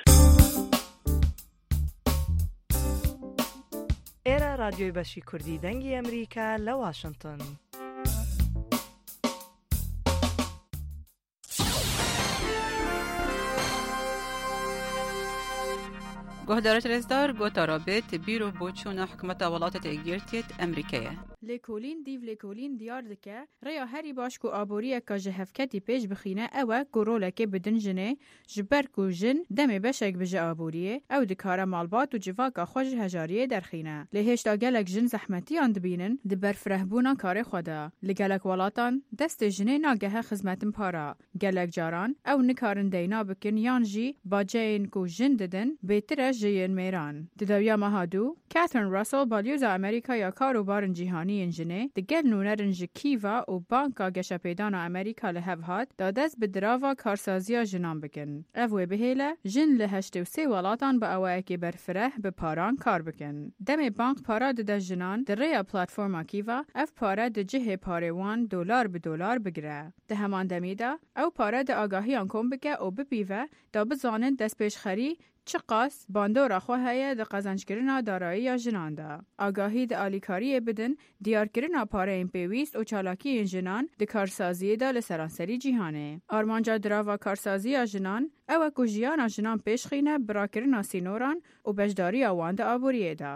Êre Radyoyê Beşî Kurdî Dengê Emerîka li Washington. Guhdarêt rêzdar, gotara bêt bîr û boçûna hikûmeta Welatêt Êkgirtiyêt Emerîkeyê. Lêkolîn, dîv lêkolîn diyar dike, rêya herî baş ku aboriyeke ji hevketî pêş bixîne ew e ku rolekê bidin jinê, ji ber ku jin demê beşek bi ji aboriyê, ew dikare malbat û civaka xwe ji hejariyê derxîne. Lê hêşta gelek jin zehmetiyan dibînin di berfirehbûna karê xwe de. Li gelek welatan destê jinê nagehe xizmetin para. Gelek caran ew nikarin deyna bikin yan jî baceyên ku jin didin bêtir e ji yên mêran. Di dawiya meha dû, Catherine Russell, balyoza Amerîka ya kar û barin cîhanî yên jinê, di gel nûnerin ji Kîva û Banka Geşepêdana Amerîka li hev hat, da dest bi dirava karsaziya jinan bikin. Ev wê bihêle, jin li heştê û sê welatan bi awayekê berfireh bi paran kar bikin. Demê bank para dide jinan, di rêya platforma Kîva, ev pare di cihê parê wan dolar bi dolar bigire. Di heman demî de, ew pare di agahiyan kom bike û bipîve, da bizanin destpêşxerî çiqas bandora xwe heye di qezencekirina darayiya jinan de. Agahî di alîkariyê bidin, diyarkirina pareyên pêwîst û çalakiyên jinan di karsaziyê de li seranserî cîhanê. Armanca dirava karsaziya jinan ew e ku jiyana jinan pêşxîne bi rakirina sînoran û beşdariya wan di aboriyê de.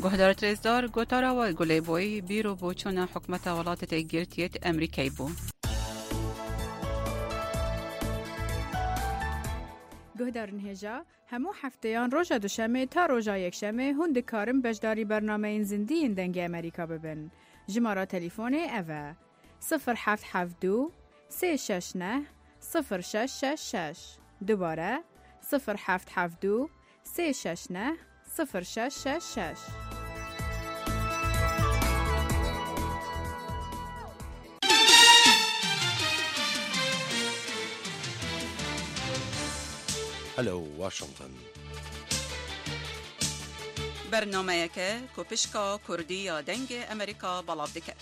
Guhdarêt rêzdar, gotara we Gulê Boyî, bîr û boçûna hikûmeta Welatêt Êkgirtiyêt Emerîkeyê bû. Guhdarên hêja, hemû hefteyan roja Duşemê ta roja Yekşemê hûn dikarin beşdarî bernameyên zindî yên Dengê Emerîka bibin. Jimara telîfonê ev e: sifir heft heft du sê şeş neh sifir şeş şeş şeş. Dubare, sifir heft heft du sê şeş neh sifir şeş şeş şeş. Hello Washington. Bernameyeke ku pişka Kurdî ya Dengê Emerîka belav dike.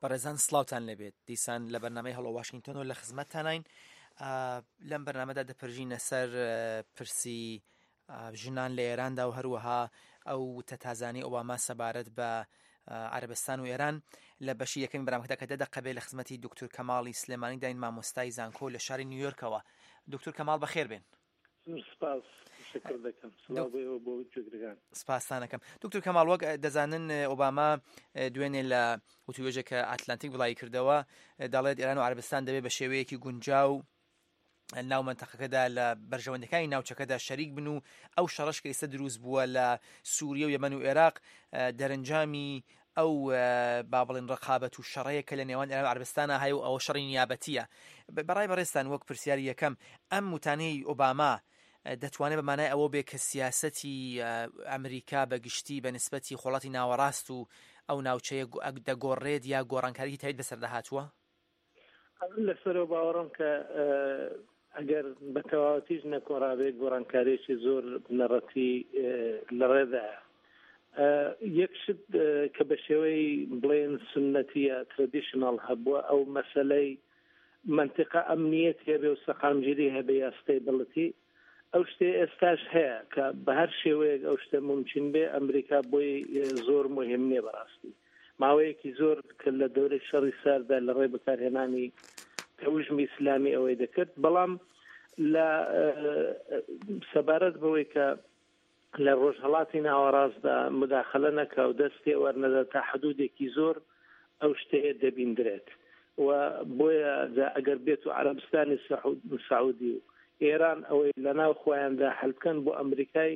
Berêzan, sڵاوتان لێبێت. دیسان لە بەرنامەی هەڵۆ واشنگتن و لە خزمەتتانین. ئا، لەم بەرنامەدا دەپرژینە سەر، ئە، پرسی، ئە، ژنان لە ئێراندا و هەروەها ئەو تەتازانی ئۆباما سەبارەت بە، ئە، عەرەبستان و ئێران. لە بەشی یەکەمی بەرنامەکەدا کە دە دەقە بێ، لە خزمەتی دکتور کەماڵی سلێمانی داین، مامۆستای زانکۆ لە شاری نیویۆرکەوە. دکتور کەماڵ، بەخێر بێن. زۆر سپاس، تشەکر دەکەم. سڵاو دک- بۆ ئێوە، بۆ گوێگرگان. سپاستان دەکەم. دکتور کەماڵ، وەک، ئە، دەزانن، ئە، ئۆباما، ئە، دوێنێ لە وتووێژێک کە ئاتلانتیک بڵاوی کردەوە، ئە، دەڵێت ئێران و عەرەبستان دەبێت بە شێوەیەکی گونجاو، ئە، ناو مەنتەقەکەدا لە بەرژەوەندەکانی ناوچەکەدا شەریک بن و ئەو شەڕەش کە ئێستا دروست بووە لە سووریە و یەمەن و عێراق، ئە، دەرەنجامی ئەو، ئە، با بڵێن ڕقابەت و شەڕەیە کە لە نێوان ئێران و عەرەبستانە هەیە و ئەوە شەڕی نیابەتیە. بە-، بەڕای بەڕێستان، وەک پرسیاری یەکەم، ئەم وتانەی ئۆباما، ئە، دەتوانێت بە مانای ئەوە بێ کە سیاسەتی، ئە، ئەمریکا بە گشتی بە نسبەتی خۆڵاتی ناوەڕاست و ئەو ناوچەیە گو-، ئەگ-، دەگۆڕێت یا گۆڕانکاریی تایبەت بەسەر دەهاتووە؟ من لەسەرەوە باوەڕم کە، ئە، ئەگەر بە تەواوەتیش نەکۆڕابێت، گۆڕانکاریەکی زۆر بنەڕەتی، ئە، لە ڕێدایە. ئە، یەک شت، ئە، کە بە شێوەی بڵێن سنەتیە، traditional هەبووە، ئەو مەسەلەی منتیقە ئەمنیەتی هەبێ و سەقامگیری هەبێ یا stability، ئەو شتێ ئێستاش هەیە کە بە هەر شێوەیەک ئەو شتە ممکن بێ، ئەمریکا بۆی، ئە، زۆر مهم نییە بەڕاستی. ماوەیەکی زۆر کە لە دەورەی شەڕی ساردا لە ڕێی بەکارهێنانی تەوژمی ئیسلامی ئەوەی دەکرد، بەڵام لە، ئە، سەبارەت بەوەی کە لە ڕۆژهەڵاتی ناوەڕاستدا مداخلە نەکا و دەستێ وەرنەدا، تا حدودێکی زۆر ئەو شتەیە دەبیندرێت. و بۆیە جا ئەگەر بێت و عەرەبستانی سەعود-، سەعودی و ئێران ئەوەی لە ناو خۆیاندا حل بکەن بۆ ئەمریکای،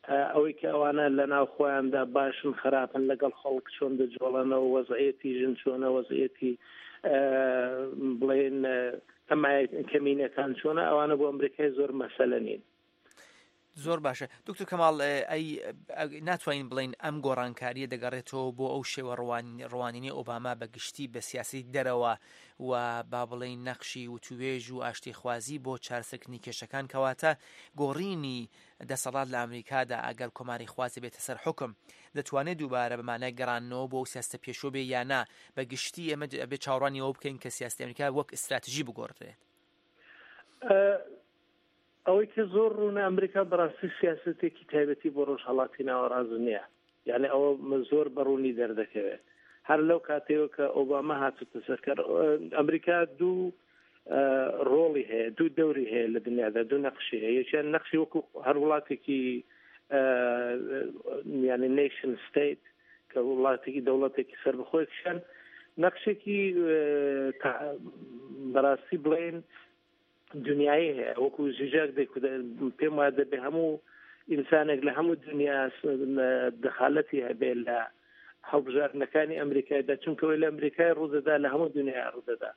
ئە، ئەوەی کە ئەوانە لە ناو خۆیاندا باشن خراپن، لەگەڵ خەڵک چۆن دەجوڵەنەوە، وەزعیەتی ژن چۆنە، وەزعیەتی، ئە، بڵێن، ئە، کەمایە-، کەمینەکان چۆنە، ئەوانە بۆ ئەمریکای زۆر مەسەلە نین. زۆر باشە. دکتۆر کەماڵ، ئە، ئەی، ئە، ناتوانین بڵین ئەم گۆڕانکاریە دەگەڕێتەوە بۆ ئەو شێوە ڕوان-، ڕوانینی ئۆباما بە گشتی بە سیاسی دەرەوە و با بڵین نەقشی وتوێژ و ئاشتیخوازی بۆ چارەسەرکردنی کێشەکان، کەواتە گۆڕینی دەسەڵات لە ئەمریکادا ئەگەر کۆماری خوازی بێتە سەر حکم، دەتوانێت دووبارە بە مانای گەڕانەوە بۆ ئەو سیاستە پێشوە بێ یا نا؟ بە گشتی ئێمە ئەبێ چاوەڕوانی ئەوە بکەین کە سیاستی ئەمریکا وەک ئستراتژی بگۆڕدرێت. ئە، ئەوەی کە زۆر ڕوونە، ئەمریکا بەڕاستی سیاسەتێکی تایبەتی بۆ ڕۆژهەڵاتی ناوەڕاست نییە. یعنی ئەوە زۆر بە ڕوونی دەردەکەوێت. هەر لەو کاتەوە کە ئۆباما هاتوتە سەرکار، ئە، ئەمریکا دوو، ئە، ڕۆڵی هەیە، دوو دەوری هەیە لە دنیادا، دوو نەقشی هەیە. یەکیان نەقشی وەکو هەر وڵاتێکی، ئە، یعنی nation state، کە وڵاتێکی، دەوڵەتێکی سەربەخۆی کشان، نەقشێکی، ئە، تا-، بەڕاستی بڵێن دنیایی هەیە. وەکو زیجاک دەیکوت، پێم وایە دەبێ هەموو ئینسانێک لە هەموو دنیا س-، دەخالەتی هەبێ لە هەڵبژاردنەکانی ئەمریکایدا، چونکە ئەوەی لە ئەمریکای ڕوودەدا لە هەموو دنیا ڕوودەدا.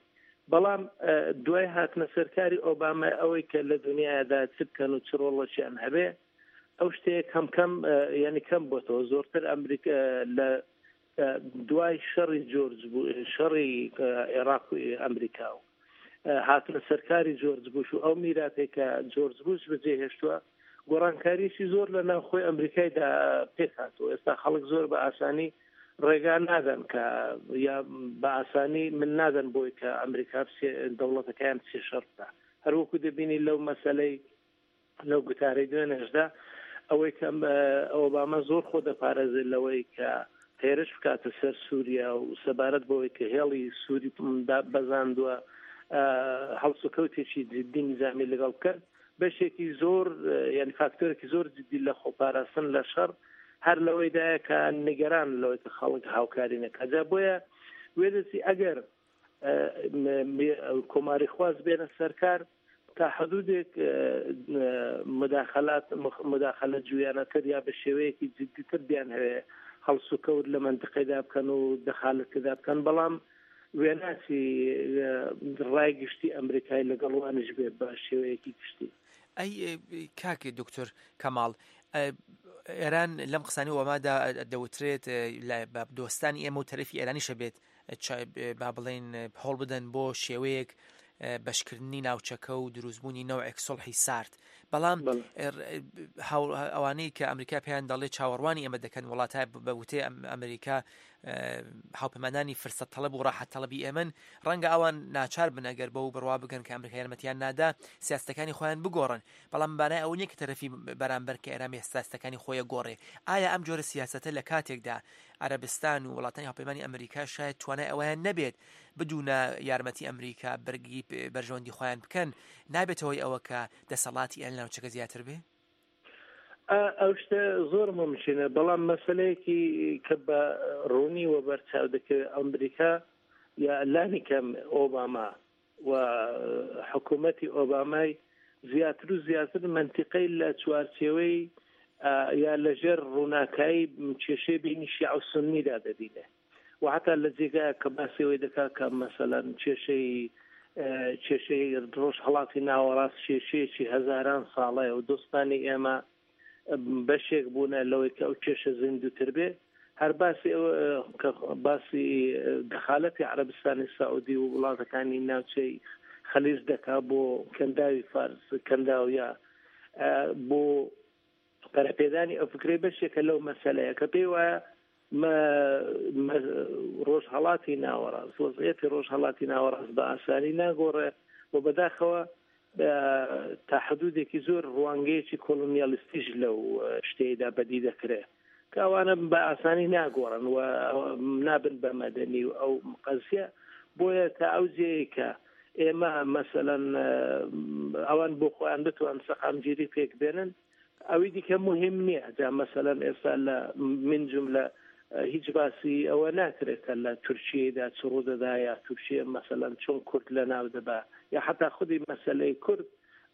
بەڵام، ئە، دوای هاتنە سەرکاری ئۆباما، ئەوەی کە لە دنیادا چ بکەن و چ ڕۆڵەشیان هەبێ، ئەو شتەیە کەم کەم، ئە، یعنی کەم بۆتەوە. زۆرتر ئەمریکا، ئە، لە، ئە، دوای شەڕی جۆرج بو-، شەڕی، ئە، عێراق و ئەمریکا و، ئە، هاتنە سەرکاری جۆرج بوش و ئەو میراتێک کە جۆرج بوش بەجێ هێشتووە، گۆڕانکاریشی زۆر لە ناوخۆی ئەمریکایدا پێک هاتووە. ئێستا خەڵک زۆر بە ئاسانی ڕێگا نادەن کە، یا بە ئاسانی من نادەن بۆی کە ئەمریکا بچێ-، دەوڵەتەکەیان بچێ شەڕ بکا. هەروەکو دەبینی لەو مەسەلەی، لەو گوتارەی دوێنێشدا، ئەوەی کە، ئە، ئۆباما زۆر خۆ دەپارێزێت لەوەی کە هێرش بکاتە سەر سووریا و سەبارەت بەوەی کە هێڵی سووری دا-، بەزاندووە، ئە، هەڵسوکەوتێکی جدی نظامی لەگەڵ بکەن، بەشێکی زۆر، ئە، یعنی فاکتۆرێکی زۆر جدی لە خۆپاراستن لە شەڕ هەر لەوەیدایە کە نیگەران لەوەی کە خەڵک هاوکاری نەکات. جا بۆیە وێ دەستی ئەگەر، ئە، م-، م-، کۆماری خواز بێنە سەرکار، تا حدودێک، ئە، ئە، مداخلات، مخ-، مداخلە جویانەتر یا بە شێوەیەکی جدیتر بیان هەوێ هەڵسوکەوت لە منتقەیدا بکەن و دەخالەت تێدا بکەن. بەڵام وێناسی، ئە، ڕای گشتی ئەمریکای لەگەڵ وانش بێ بە شێوەیەکی گشتی. ئەی، ئە، کاک دکتۆر کەماڵ، ئە، ئێران لەم قسانی ئۆبامادا دەوترێت، ئە، لە، بە دۆستانی ئێمە و تەرەفی ئێرانیشە بێت، چ-، با بڵێن، هەوڵ بدەن بۆ شێوەیەک، ئە، بەشکردنی ناوچەکە و دروستبوونی نەوعێک سوڵحی سارد. بەڵام، بەڵێ. ئە، ڕ-، هاو-، ئەوانەی کە ئەمریکا پێیان دەڵێ چاوەڕوانی ئێمە دەکەن، وڵاتە ب-، بە وتەی ئەم-، ئەمریکا، ئە، هاوپەیمانانی فرسەت تەڵەب و ڕاحەت تەڵەبی ئێمەن، ڕەنگە ئەوان ناچار بن ئەگەر بەو بڕوا بگەن کە ئەمریکا یارمەتیان نادا سیاستەکانی خۆیان بگۆڕن. بەڵام مانای ئەوە نییە کە تەرەفی بەرامبەر کە ئێران سیاستەکانی خۆیە گۆڕێ. ئایا ئەم جۆرە سیاسەتە لە کاتێکدا عەرەبستان و وڵاتانی هاوپەیمانی ئەمریکا شاید توانای ئەوەیان نەبێت بدونە یارمەتی ئەمریکا بەرگی پ-، بەرژەوەندی خۆیان بکەن، نابێتەوەی ئەوە کە دەسەڵاتی ئەیان لە ناوچەکە زیاتر بێ؟ ئا-، ئەو شتە زۆر ممکنە، بەڵام مەسەلەیەکی کە بە ڕوونی وە بەرچاو دەکەوێت، ئەمریکا یا لانی کەم ئۆباما و حکوومەتی ئۆبامای زیاتر و زیاتر منتیقەی لە چوارچێوەی، ئا، یا لە ژێر ڕووناکایی کێشەی بینی شیعە و سوننیدا دەبینێ. و حتا لە جێگایە کە باسی ئەوەی دەکا کە مەسەلەن کێشەی، ئە، کێشەی ڕۆژهەڵاتی ناوەڕاست کێشەیەکی هەزاران ساڵەیە و دۆستانی ئێمە بەشێک بوونە لەوەی کە ئەو کێشە زیندووتر بێ. هەر باسی ئەوە، ئە، کە باسی، ئە، دەخالەتی عەرەبستانی سەعودی و وڵاتەکانی ناوچەی خەلیج دەکا بۆ کەنداوی فارس، کەنداویە، ئە، بۆ پەرەپێدانی ئەو فکرەی بەشێکە لەو مەسەلەیە کە پێی وایە مە-، مە-، ڕۆژهەڵاتی ناوەڕاست، وەزعیەتی ڕۆژهەڵاتی ناوەڕاست بە ئاسانی ناگۆڕێ و بەداخەوە، ئە، تا حدودێکی زۆر ڕوانگەیەکی کۆلۆنیالیستیش لەو، ئە، شتەیەدا بەدی دەکرێ کە ئەوانە بە ئاسانی ناگۆڕن و نابن بە مەدەنی و ئەو قەزیە. بۆیە تا ئەو جێیە کە ئێمە مەسەلەن، ئە، ئەوان بۆ خۆیان بتوان سەقامگیری پێک بێنن، ئەوی دیکە مهم نییە. جا مەسەلەن ئێستا لە من جملە، ئە، هیچ باسی ئەوە ناکرێت کە لە تورکیەدا چ ڕوودەدا یا تورکیە مەسەلەن چۆن کورد لە ناو دەبا، یا حتا خودی مەسەلەی کورد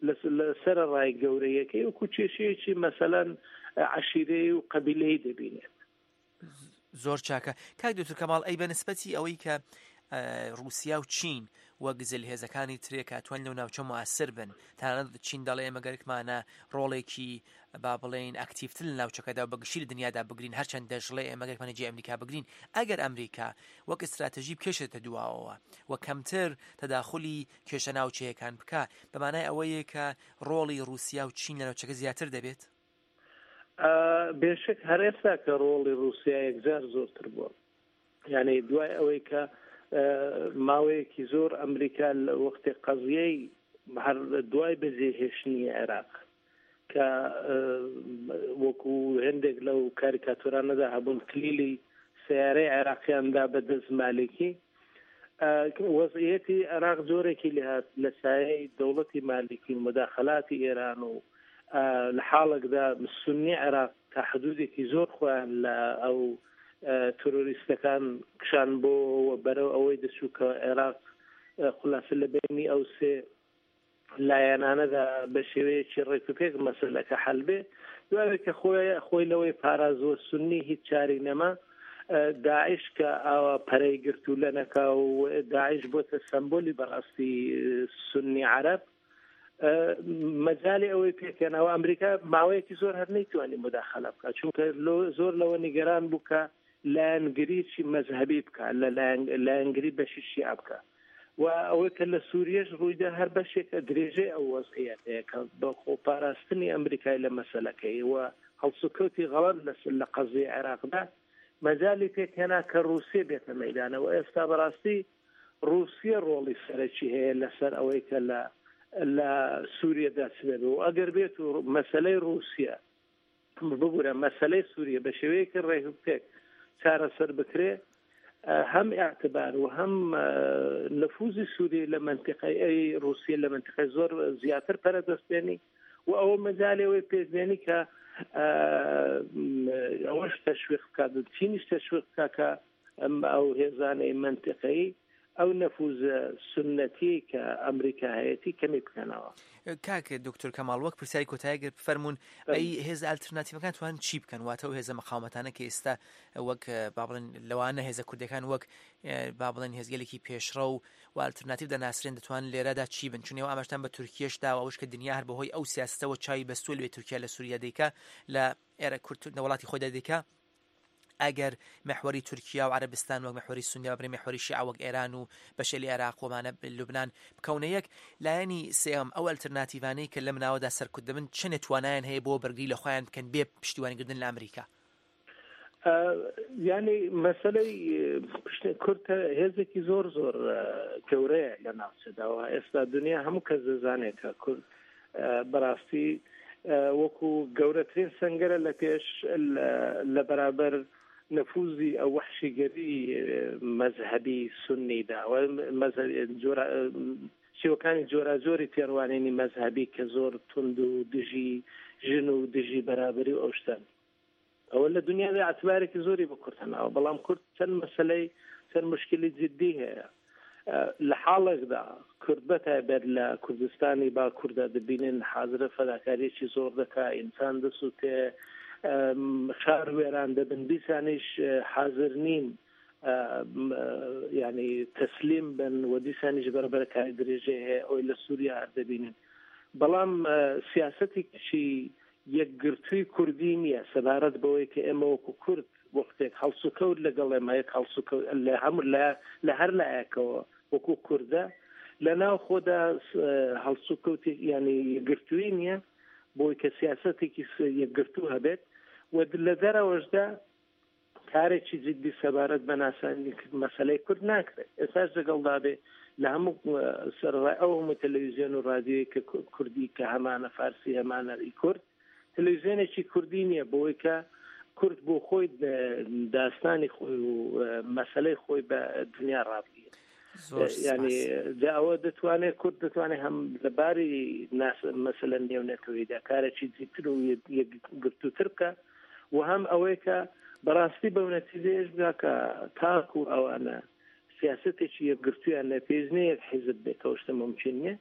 لە، لە سەرەڕای گەورەیەکەی وەکو کێشەیەکی مەسەلەن، ئە، عەشیرەیە و قەبیلەی دەبینێت. زۆر چاکە. کاک دکتۆر کەماڵ، ئەی بە نسبەتی ئەوەی کە، ئە، رووسیا و چین وەک زلهێزەکانی ترێ کە توان لەو ناوچە مواسر بن، تەنانەت چین دەڵێ ئێمە گەرکمانە ڕۆڵێکی، با بڵێن، ئەکتیڤتر لە ناوچەکەدا و بەگشتی لە دنیادا بگرین، هەرچەند دەژڵێ ئێمە گەرکمانە جێ ئەمریکا بگرین. ئەگەر ئەمریکا وەک استراتژی بکێشێتە دواوەوە و کەمتر تەداخلی کێشە ناوچەیەکان بکە، بەمانای ئەوەیە کە ڕۆڵی رووسیا و چین لە ناوچەکە زیاتر دەبێت؟ بێشک هەر ئێستا کە ڕۆڵی رووسیا یەکجار زۆرتر بووە. یعنی دوای ئەوەی کە، ئە، ماوەیەکی زۆر ئەمریکا لە وەختی قەزیەی هەر دوای بەجێهێشتنی عێراق کە، ئە، وەکو هەندێک لەو کاریکاتورانەدا هەبوون کلیلی سیارەی عێراقیان دا بە دەست مالکی. ئە، وەزعیەتی عێراق جۆرێکی لێهات لە سایەی دەوڵەتی مالکی و مداخلاتی ئێران و، ئە، لە حاڵێکدا سنی عێراق تا حدودێکی زۆر خۆیان لە ئەو، ئە، تۆرۆریستەکان کشان بۆ و بەرەو ئەوەی دەچوو کە عێراق، ئە، خولاسە لە بینی ئەو سێ لایەنانەدا بە شێوەیەکی ڕێکوپێک مەسەلەکە حەل بێ. دوای کە خۆی، خۆی لەوەی پارازوە سنی هیچ چاری نەما، ئە، داعش کە ئاوا پەرەی گرت و لە نەکا و داعش بۆتە سەمبۆلی بەڕاستی سنی عەرەب. ئە، مەجالی ئەوەی پێکەنەوە ئەمریکا ماوەیەکی زۆر هەر نەیتوانی مداخلە بکە، چونکە لۆ-، زۆر لەوە نیگەران بوو کە لایەنگریی مەزهەبی بکە، لە لایەن-، لایەنگری بەشی شیعە بکە. و ئەوەی کە لە سووریەش ڕوویدا هەر بەشێکە درێژەی ئەو وەزعیەتەیە کە بە خۆپاراستنی ئەمریکای لە مەسەلەکەی و هەڵسوکەوتی غەڵەت لە س-، لە قەزیە عێراقدا مەجالی پێکهێنا کە ڕووسیە بێتە مەیدانەوە. ئێستا بەڕاستی ڕووسیە ڕۆڵی سەرەکی هەیە لەسەر ئەوەی کە لە، لە سووریەدا چ دەبێ. و ئەگەر بێت و مەسەلەی ڕووسیە، ببوورە مەسەلەی سووریە بە شێوەیەکی ڕێکوپێک چارەسەر بکرێ، ئە، هەم ئەعتبار و هەم، ئە، نفوزی سووریە لە منتیقەی ئەی ڕووسیە لە منتیقەی زۆر زیاتر پەرە دەستێنی و ئەوە مەجالێ ئەوەی پێکبێنی کە، ئە، ئەوەش تەشویق بکات، چینیش تەشویق بکات کە ئەم ئەو هێزانەی منتیقەی ئەو نفوزە سنەتی کە ئەمریکا هەیەی کەمی بکەنەوە. کاک دکتۆر کەماڵ، وەک پرسیاری کۆتاییەک بفەرموون، بەڵێ. ئەی هێزە ئالترناتیڤەکان توان چی بکەن؟ واتە ئەو هێزە مەقاومەتانە کە ئێستا وەک، با بڵێن، لەوانە هێزە کوردیەکان وەک، با بڵێن، هێزگەلێکی پێشڕەو و ئالترناتیڤ دەناسرێن، دەتوان لێرەدا چی بن؟ چون ئێوە ئاماژتان بە تورکیەش داوە، ئەوش کە دنیا هەر بەهۆی ئەو سیاستەوە چاوی بەستووە لەوێ تورکیا لە سووریا دەیکا، لە ئێرە کورد نە وڵاتی خۆی دەدیکا. ئەگەر مەحوەری تورکیا و عەرەبستان وەک مەحوەری سونیا ببرێ مەحوەری شیعە وەک ئێران و بەشێ لە عێراق و مانە لوبنان بکەونە یەک، لایەنی سێیەم، ئەو ئەلترناتیڤانەی کە لەم ناوەدا سەرکوت دەبن چەنێ توانایان هەیە بۆ بەرگری لە خۆیان بکەن بێ پشتیوانیکردن لە ئەمریکا؟ یعنی مەسەلەی، ئە، پشت-، کورد هێزێکی زۆر زۆر، ئە، گەورەیە لە ناوچەدا و ئێستا دنیا هەموو کەس دەزانێت کە کورد، ئە، بەڕاستی، ئە، وەکو گەورەترین سەنگەرە لە پێش، لە، لە بەرابەر نفوزی ئەو وەحشیگەری، ئە، مەزهەبی سنیدا و مەزهەبی جۆرە، ئە، شێوەکانی جۆراجۆری تێڕوانینی مەزهەبی کە زۆر تونند و دژی ژن و دژی بەرابەری و ئەو شتان. ئەوە لە دنیادا ئەتبارێکی زۆری بە کورد هەناوە، بەڵام کورد چەند مەسەلەی، چەند مشکلی جدی هەیە. ئە، لە حاڵێکدا کورد بە تایبەت لە کوردستانی باکووردا دەبینن حازرە فەداکاریەکی زۆر دەکا، ئینسان دەسووتێ، ئەم، شار وێران دەبن، دیسانیش، ئە، حازر نین، ئە، م-، ئە، یعنی تەسلیم بن و دیسانیش بەربەرەکانی درێژەی هەیە، ئەوەی لە سووریا هەر دەبینن. بەڵام، ئە، سیاسەتێکی یەکگرتووی کوردی نییە، سەبارەت بەوەی کە ئێمە وەکو کورد وەختێک هەڵسوکەوت لەگەڵ ئێمە یەک هەڵسوکەوت لە هەموو لە، لە هەر لایەکەوە وەکو کوردە لە ناو خۆدا، ئە، هەڵسوکەوتی، یعنی یەکگرتووی نییە بۆی کە سیاسەتێکی س-، یەکگرتوو هەبێت و لە دەرەوەشدا کارێکی جدی سەبارەت بە ناساندنی مەسەلەی کورد ناکرێت. ئێستاش لەگەڵدا بێ لە هەموو، ئە، سەرڕای ئەو هەموو تەلەویزیۆن و رادیۆی کە کو-، کوردی کە هەمانە فارسی هەمانە ئی کورد، تەلەویزیۆنێکی کوردی نییە بۆی کە کورد بۆ خۆی، ئە، داستانی خۆی و، ئە، مەسەلەی خۆی بە دنیا ڕابگەێنێت. زۆر یعنی سپاس. جا ئەوە دەتوانێت، کورد دەتوانێت هەم لە باری ناس-، مەسەلە نێونەتەوەیدا کارێکی جیتر و یەک-، یەکگرتووتر بکە و هەم ئەوەیە کە بەڕاستی بەو نەتیجەیەش بگا کە تاکو ئەوانە سیاسەتێکی یەکگرتوویان لە پێش نیە، یەک حیزب بێت، ئەو شتە ممکن نیە،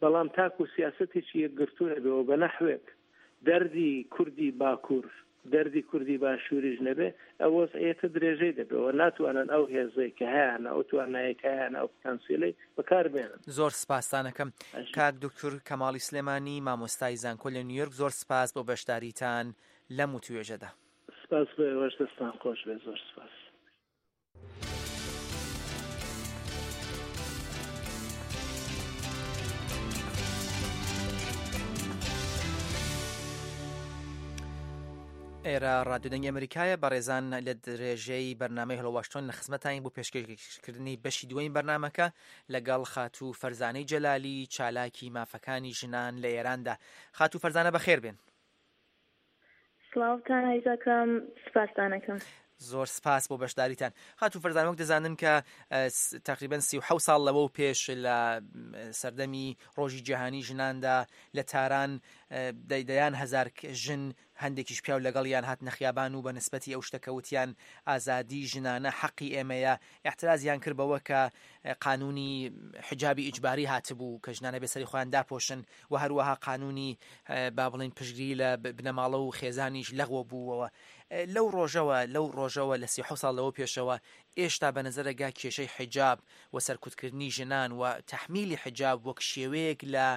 بەڵام تاکو سیاسەتێکی یەکگرتوو نەبێ و بە نەحوێک دەردی کوردی باکوور، دەردی کوردی باشووریش نەبێ، ئەو وەزعیەتە درێژەی دەبێ و ناتوانن ئەو هێزەی کە هەیانە، ئەو توانایەی کە هەیانە، ئەو پتانسیلەی بەکار بێنن. زۆر سپاستانەکەم. ئەش- کاک دکتور کەماڵی سلێمانی، مامۆستای زانکۆ لە نیویۆرک، زۆر سپاس بۆ بەشداریتان لەم وتوێژەدا. سپاس بۆ ئێوەش، دەستان خۆش بێ، زۆر سپاس. ئێرە ڕادیۆ دەنگی ئەمریکایە. بەڕێزان، لە درێژەی بەرنامەی هەڵۆ واشتۆن لە خزمەتانی بۆ پێشکەشکردنی بەشی دووەمی بەرنامەکە لەگەڵ خاتوو فەرزانەی جەلالی، چالاکی مافەکانی ژنان لە ئێراندا. خاتوو فەرزانە، بەخێر بێن. سڵاوتان ئەرز ئەکەم، سپاستان ئەکەم. زۆر سپاس بۆ بەشداریتان. خاتوو فەرزان، وەک دەزانن کە، ئە، س-، تەقریبەن سی و حەوت ساڵ لەوە و پێش لە، م، سەردەمی ڕۆژی جیهانی ژناندا لە تاران، ئە، دەی-، دەیان هەزار ک-، ژن، هەندێکیش پیاو لەگەڵیان هاتنە خیابان و بە نسبەتی ئەو شتە کە وتیان ئازادی ژنانە حەقی ئێمەیە، ئیعترازیان کرد بەوە کە، ئە، قانونی حجابی ئیجباری هاتبوو کە ژنانە بێ سەری خۆیان داپۆشن و هەروەها قانونی، ئە، با بڵێن پشتگیری لە ب-، بنەماڵە و خێزانیش لەغوە بووەوە. ئە، لەو ڕۆژەوە، لەو ڕۆژەوە لە سی و حەوت ساڵ لەوە پێشەوە ئێشتا بە نەزەرەگا کێشەی حجاب و سەرکوتکردنی ژنان و تەحمیلی حجاب وەک شێوەیەک لە،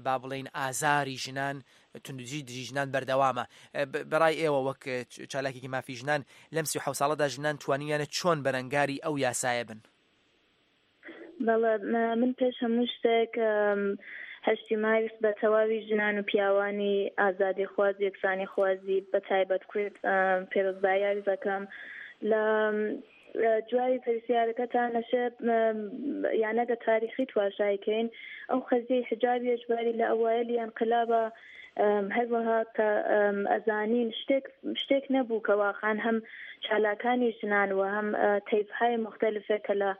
با بڵێن، ئازاری ژنان، توندوتیژی دژی ژنان بەردەوامە. ئە، ب-، بەڕای ئێوە وەک، ئە، چ-، چالاکێکی مافی ژنان، لەم سی و حەوت ساڵەدا ژنان توانیویانە چۆن بەرەنگاری ئەو یاسایە بن؟ بەڵێ، م-، من پێش هەموو شتێک، ئەم، هەشتی مارس بە تەواوی ژنان و پیاوانی ئازادی خوازی، یەکسانی خوازی، بە تایبەت کورد، ئەم، پێرۆزبایی ئەرز ئەکەم. لە، ئە، جوابی پرسیارەکەتان نەشێ، ئەم، یانەگە تاریخی تواشای کەین. ئەو قەزیەی حجابی ئەجباری لە ئەوایەلی ئەنقلابە، ئەم، هەروەها کە، ئەم، ئەزانین شتێک، شتێک نەبوو کە واقعاً هەم چالاکانی ژنان و هەم، ئە، تەیفهای مختلفێک کە لە،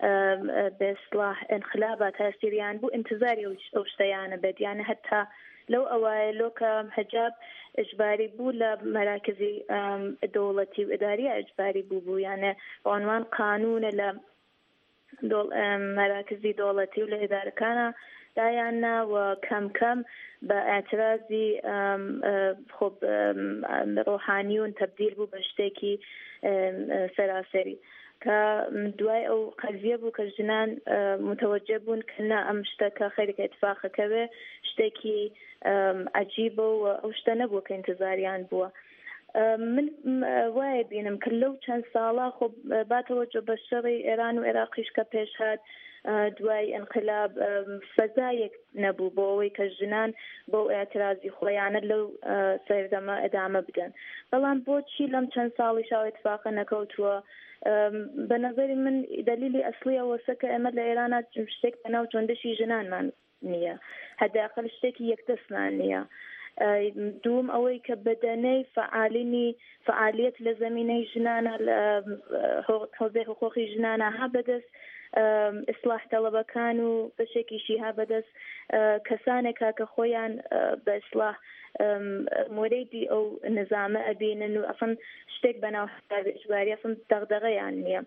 ئەم، ئە، بێ سڵاح ئەنقلابە تاسیریان بوو، ئینتزاری ئەو، ئەو شتەیانە بێت. یانە هەتا لەو ئەوایە لۆ کە حجاب ئەجباری بوو لە مەراکزی، ئەم، دەوڵەتی و ئیداریە ئەجباری بوو بوو، یانە بە عنوان قانونە لە دۆڵ-، ئەم، مەراکزی دەوڵەتی و لە ئیدارەکانە دایاننا و کەم کەم بە ئاعترازی، ئەم، ئە، خۆ ب-، ئەم، ئەم، ڕۆحانیون تەبدیل بوو بە شتێکی، ئەم، ئە، سەراسەری. کە دوای ئەو قەزیە بوو کە ژنان، ئە، متوجه بوون کە نا، ئەم شتەکە خەیرێکە ئیتفاقەکەوێ، شتێکی، ئەم، عەجیبە و ئەو شتە نەبوو کە ئینتزاریان بووە. ئە، من، م-، وایە بینم کە لەو چەند ساڵە خۆ، ئە، با تەوەجۆ بە شەڕی ئێران و عێراقیش کە پێش هات، ئە، دوای ئینقلاب، ئە، فەزایەک نەبوو بۆ ئەوەی کە ژنان بەو ئێعترازی خۆیانە لەو، ئە، سەردەمە ئەدامە بدەن. بەڵام بۆچی لەم چەند ساڵیشا ئەو ئیتفاقە نەکەوتووە؟ ئەم، بە نەزەری من دەلیلی ئەسڵی ئەوەسە کە ئێمە لە ئێرانە شتێک بە ناو جۆندەشی ژنانمان نییە. هەداقل شتێکی یەکدەستمان نییە. ئە، دووم ئەوەی کە بەدەنەی فعالینی، فعالیت لە زەمینەی ژنانە، لە، ئە، حو-، حوزەی حقوقی ژنانە ها بەدەست، ئە، ئیسلاح تەڵەبەکان و بەشێکیشی ها بەدەست، ئە، کەسانێکە کە خۆیان، ئە، بە ئیسلاح، ئەم، مۆرەیدی ئەو نظامە ئەبینن و ئەسڵەن شتێک بە ناو حسابی ئیجباری ئەسڵەن دەغدەغەیان نییە.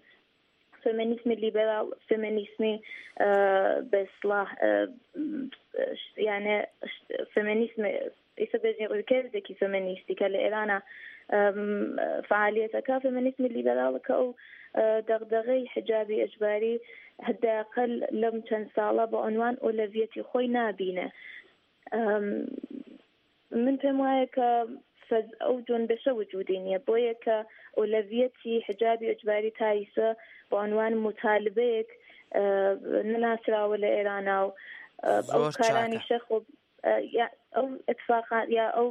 فێمینیزمی لیبرال، فێمینیزمی، ئە، بە ئیسلاح، ئە، یانە فێمینیزم، ئیسە بێژین ڕووکەردێکی فێمینیستی کە لە ئێرانە، ئەم، فعالیەتەکە، فێمینیزمی لیبرال کە ئەو، ئە، دەغدەغەی حجابی ئەجباری هەداقل لەم چەند ساڵە بە عنوان ئۆلەویەتی خۆی نابینە. ئەم، من پێم وایە کە فەز-، ئەو جۆن بەشە وجودی نییە، بۆیە کە ئۆلەویەتی حجابی ئەجباری تایسە بە عنوان مطالبەیەک، ئە، نەناسراوە لە ئێرانا و، ئە، ئەو زۆر کارانی چاکە. شەخ و، ئە، یا-، ئەو ئەتفاقا یا ئەو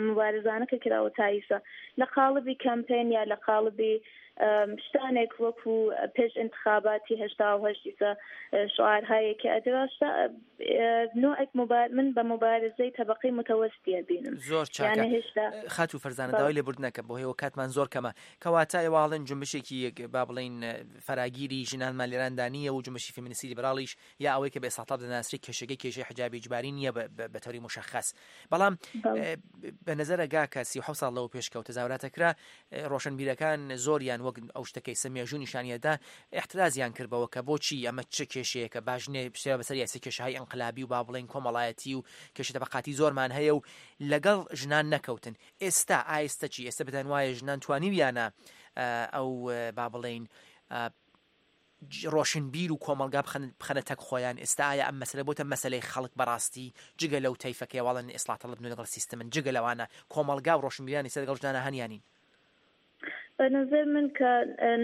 مبارزانە کە کراوە تا ئیسا لە قاڵبی کەمپین یا لە قاڵبی شتانێک وەکو پێش انتخاباتی هەشتا و هەشت ئیسا شعارهایەکی ئەدراشتە نوعێک من بە مبارزەی تەبقەی متەوەستیە بینم. زۆر چاکە. خاتو فەرزانە، داوای لێبوردنەکە بۆ هێوە کاتمان زۆر کەمە. کەواتە ئێواڵن جنبشێکی با بڵین فەراگیری ژنانمان لێراندا نییە و جنبشی فێمینیستی لیبراڵیش یا ئەوەی کە بە ئێستا تاپ دەناسرێت کێشەکەی کێشەی حجابی ئیجباری نییە بە تەوری مشەخەس. بەڵام بە نەزەرە گاکە سی و حەوت ساڵ لەوە پێشکەوتە زاوراتەکرا ڕۆشنبیرەکان زۆریان وەک ئەو شتەکەی سە مێژوو نیشانیەدا احترازیان کردبەوە کە بۆچی ئەمە چ کێشەیەکە، باش نێ پشتێ بەسەر یاسە کێشەهای ئەنقلابی و با بڵێن کۆمەڵایەتی و کێشە تەبقاتی زۆرمان هەیە و لەگەڵ ژنان نەکەوتن. ئێستا ئایستە چی؟ ئێستا بتان وایە ژنان توانیویانە ئەو با بڵین ڕۆشنبیر و کۆمەلگا بخەنە تەک خۆیان؟ ئێستا ئایا ئەم مەسلە بۆتە مەسلەی خەڵک بەڕاستی جگە لەو تەیفەکەی واڵن ئیسڵاتەڵب نوێ لەگەڵ سیستمن، جگە لەوانە کۆمەلگا و ڕۆشنبیران ئێستا لەگەڵ ژنانە هەنیانین؟ بە نظر من کە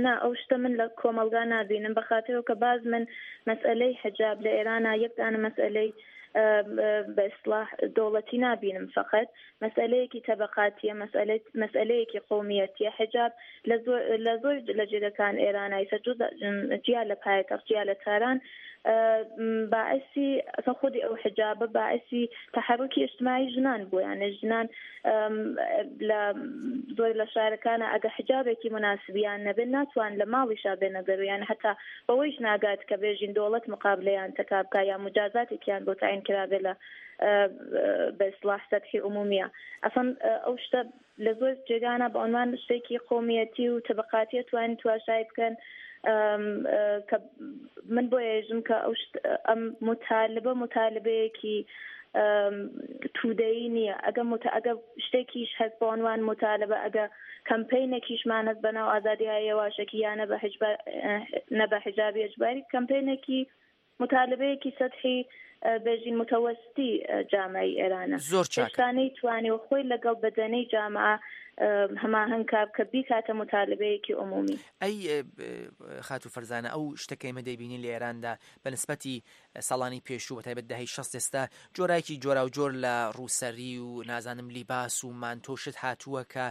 نا، ئەو شتە من لە کۆمەلگا نابینم، بە خاطرەوە کە باز من مەسئلەی حجاب لە ئێرانە یەک دانە مەسئلەی بە ئیسڵاح دەوڵەتی نابینم، فقط مەسئلەیەکی تەبقاتیە، مەسئلەیەکی قومیەتیە. حجاب لە زۆر لە جێگەکان ئێرانای سەرجو جیا لە پایتەخت، جیا لە تاران، باعثی خودی ئەو حجابە باعثی تحرکی اجتماعی ژنان بووە، یانە ژنان لە زۆر لە شارەکانە ئەگە حجابێکی مناسبیان نەبێت ناتوان لە ماڵیشا بێنە دەرو، یان حتا بەوەیش ناگات کە بێژین دەوڵەت مقابلەیان تەکا بکا یا مجازاتێکیان بۆ تعین کرابێ لە بە ئیسڵاح سەتحی عمومیە. ئەسڵەن ئەو شتە لە زۆر جێگانە بە عنوان شتێکی قومیەتی و تەبقاتیە توانین تواشای بکەن. کە من بۆ ێژم کە ئەو ئەم متالبە متالبەیەکی تودەیی نییە. ئەگە متە ئەگە شتێکیش هەست بۆ عنوان متالبە، ئەگە کەمپینێکیشمان هەست بە ناو ئازادی هەیە واشەکی یانە بە حجبە نە بە حجابی ئەجباری، کەمپینێکی متالبەیەکی سەتحی بێژین متەوەستی جامعی ئێرانە. زۆر چاکە. هێشتا نەیتوانی و خۆی لەگەڵ بەدەنەی جامعە هەماهەنگ کا بکە بیکاتە متالبەیەکی عمومی. ئەی خاتو فەرزانە، ئەو شتەکەی مە دەیبینی لە ئێراندا بە نسبەتی ساڵانی پێشوو بە تایبەت دەهەی شەست ئێستا جۆرایکی جۆرا و جۆر لە ڕووسەری و نازانم لیباس و مانتۆ شت هاتووە کە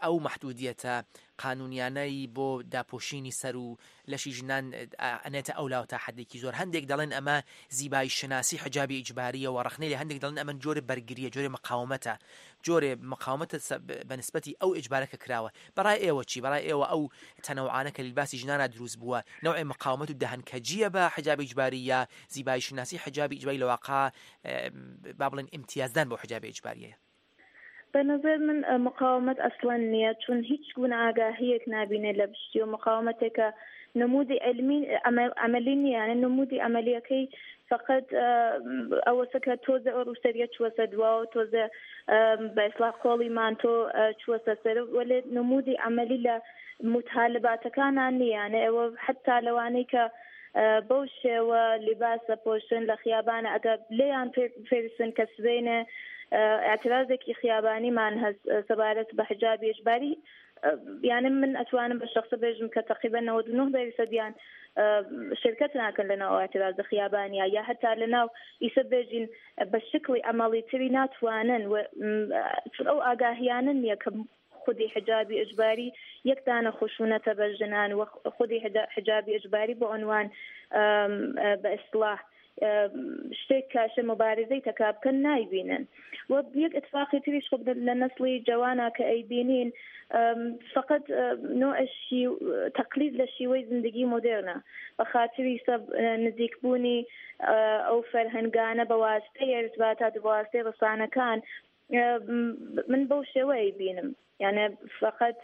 ئەو مەحدودیەتە قانونیانەی بۆ داپۆشینی سەر و لەشی ژنان ئەنێتە ئەولا و تا حدێکی زۆر. هەندێک دەڵێن ئەمە زیبایی شناسی حجابی ئیجباریە و ڕخنەی لە هەندێک دەڵێن ئەمە جۆرە بەرگریە، جۆرە مقاومەتە، جۆرە مقاومەتە بە نسبەتی ئەو ئیجبارە کە کراوە. بەڕای ئێوە چی؟ بەڕای ئێوە ئەو تەنەوعانە کە لیباسی ژنانە دروست بووە نەوعی مقاومەت و دەهنکەجیە بە حجابی ئیجباری یا زیبایی شناسی حجابی ئیجباری لە واقع با بڵێن ئیمتیازدان بۆ حجابی ئیجباریە؟ بە نظر من مقاومەت ئەسڵەن نییە، چون هیچ گونە ئاگاهیەک نابینێ لە پشتی و مقاومەتێکە نمودی علمی ئەمەلی نییە، یانە نمودی ئەمەلیەکەی فقط ئەوەسە کە تۆزە ئەو ڕووسەریە چوەسە دواوە، تۆزە بە ئیسڵاح کۆڵی مانتۆ چوەسە سەر، وەلێ نمودی ئەمەلی لە متالباتەکانان نییە. یانە ئێوە حتا لەوانەی کە بەو شێوە لیباس دەپۆشن لە خیابانە، ئەگەر لێیان پێ بپرسن کە سبەینێ ئاعترازێکی خیابانیمان هەست سەبارەت بە حجابی ئیجباری، یانە من ئەتوانم بە شەخسە بێژم کە تەقریبەن نەوەد و نۆ دەیسەدیان شرکت ناکەن لە ناو ئاعترازە خیابانیا یا هەتا لە ناو ئیسە بێژین بە شکلی ئەمەڵی تری ناتوانن و ئەو ئاگاهیانە نییە کە خودی حجابی ئیجباری یەک دانە خشونەتە بە ژنان و خودی حجابی ئیجباری بۆ عنوان بە ئیسڵاح شتێک کاشە مبارزەی تەکا بکەن نایبینن. و یەک اتفاقی تریش خب لە نەسڵی جەوانە کە ئەیبینین فقط نوع تەقلید لە شیوەی زندگی مدرنە بە خاطری سە نزیکبوونی ئەو فەرهەنگانە بە واستەی ئەرزباتا دە واستەی ڕسانەکان من بەو شێوەیە بینم. یانە فقط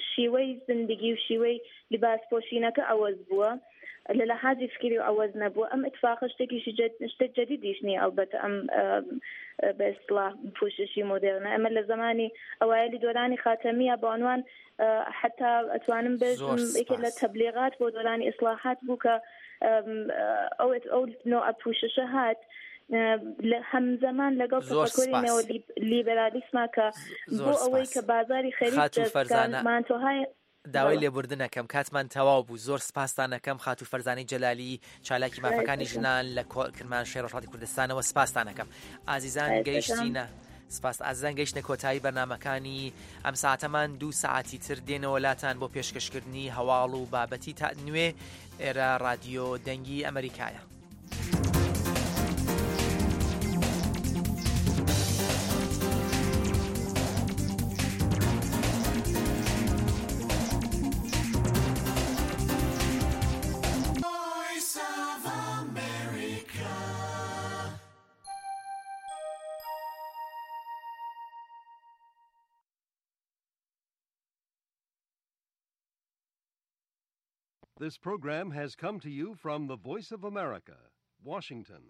شیوەی زندگی و شیوەی لباس پۆشینەکە ئەوەز بووە لە لە حاجی فکری و ئەوەز نەبووە. ئەم اتفاقە شتێکیشی شتە جدیدیش نیە. ئەلبەتە ئەم بە ئیسڵاح پوششی مدرنە ئەمە لە زمانی ئەوایلی دۆرانی خاتەمیە بە عنوان حتا ئەتوانم بێژم یەکێ لە تەبلیغات بۆ دۆرانی ئیسڵاحات بوو کە ئەو ئەو نۆ ئەپوششە هات لە هەمزەمان لەگەڵ تەفەکوری نێوە لیبرالیسما کە بۆ ئەوەی کە بازاری خەریک دەستکان مانتۆهای داوای لێبوردنەکەم، کاتمان تەواو بوو. زۆر سپاستانەکەم، خاتوو فەرزانەی جەلالی، چالاکی مافەکانی ژنان لە کۆ-، کرماشانی ڕۆژهەڵاتی کوردستانەوە. سپاستانەکەم. ئازیزان، گەیشتینە سپاس. ئازیزان، گەیشتە کۆتایی بەرنامەکانی ئەم ساعتەمان. دوو ساعتی تر دێنەوە لاتان بۆ پێشکەشکردنی هەواڵ و بابەتی تا نوێ. ئێرە ڕادیۆ دەنگی ئەمریکایە. This program has come to you from the Voice of America, Washington.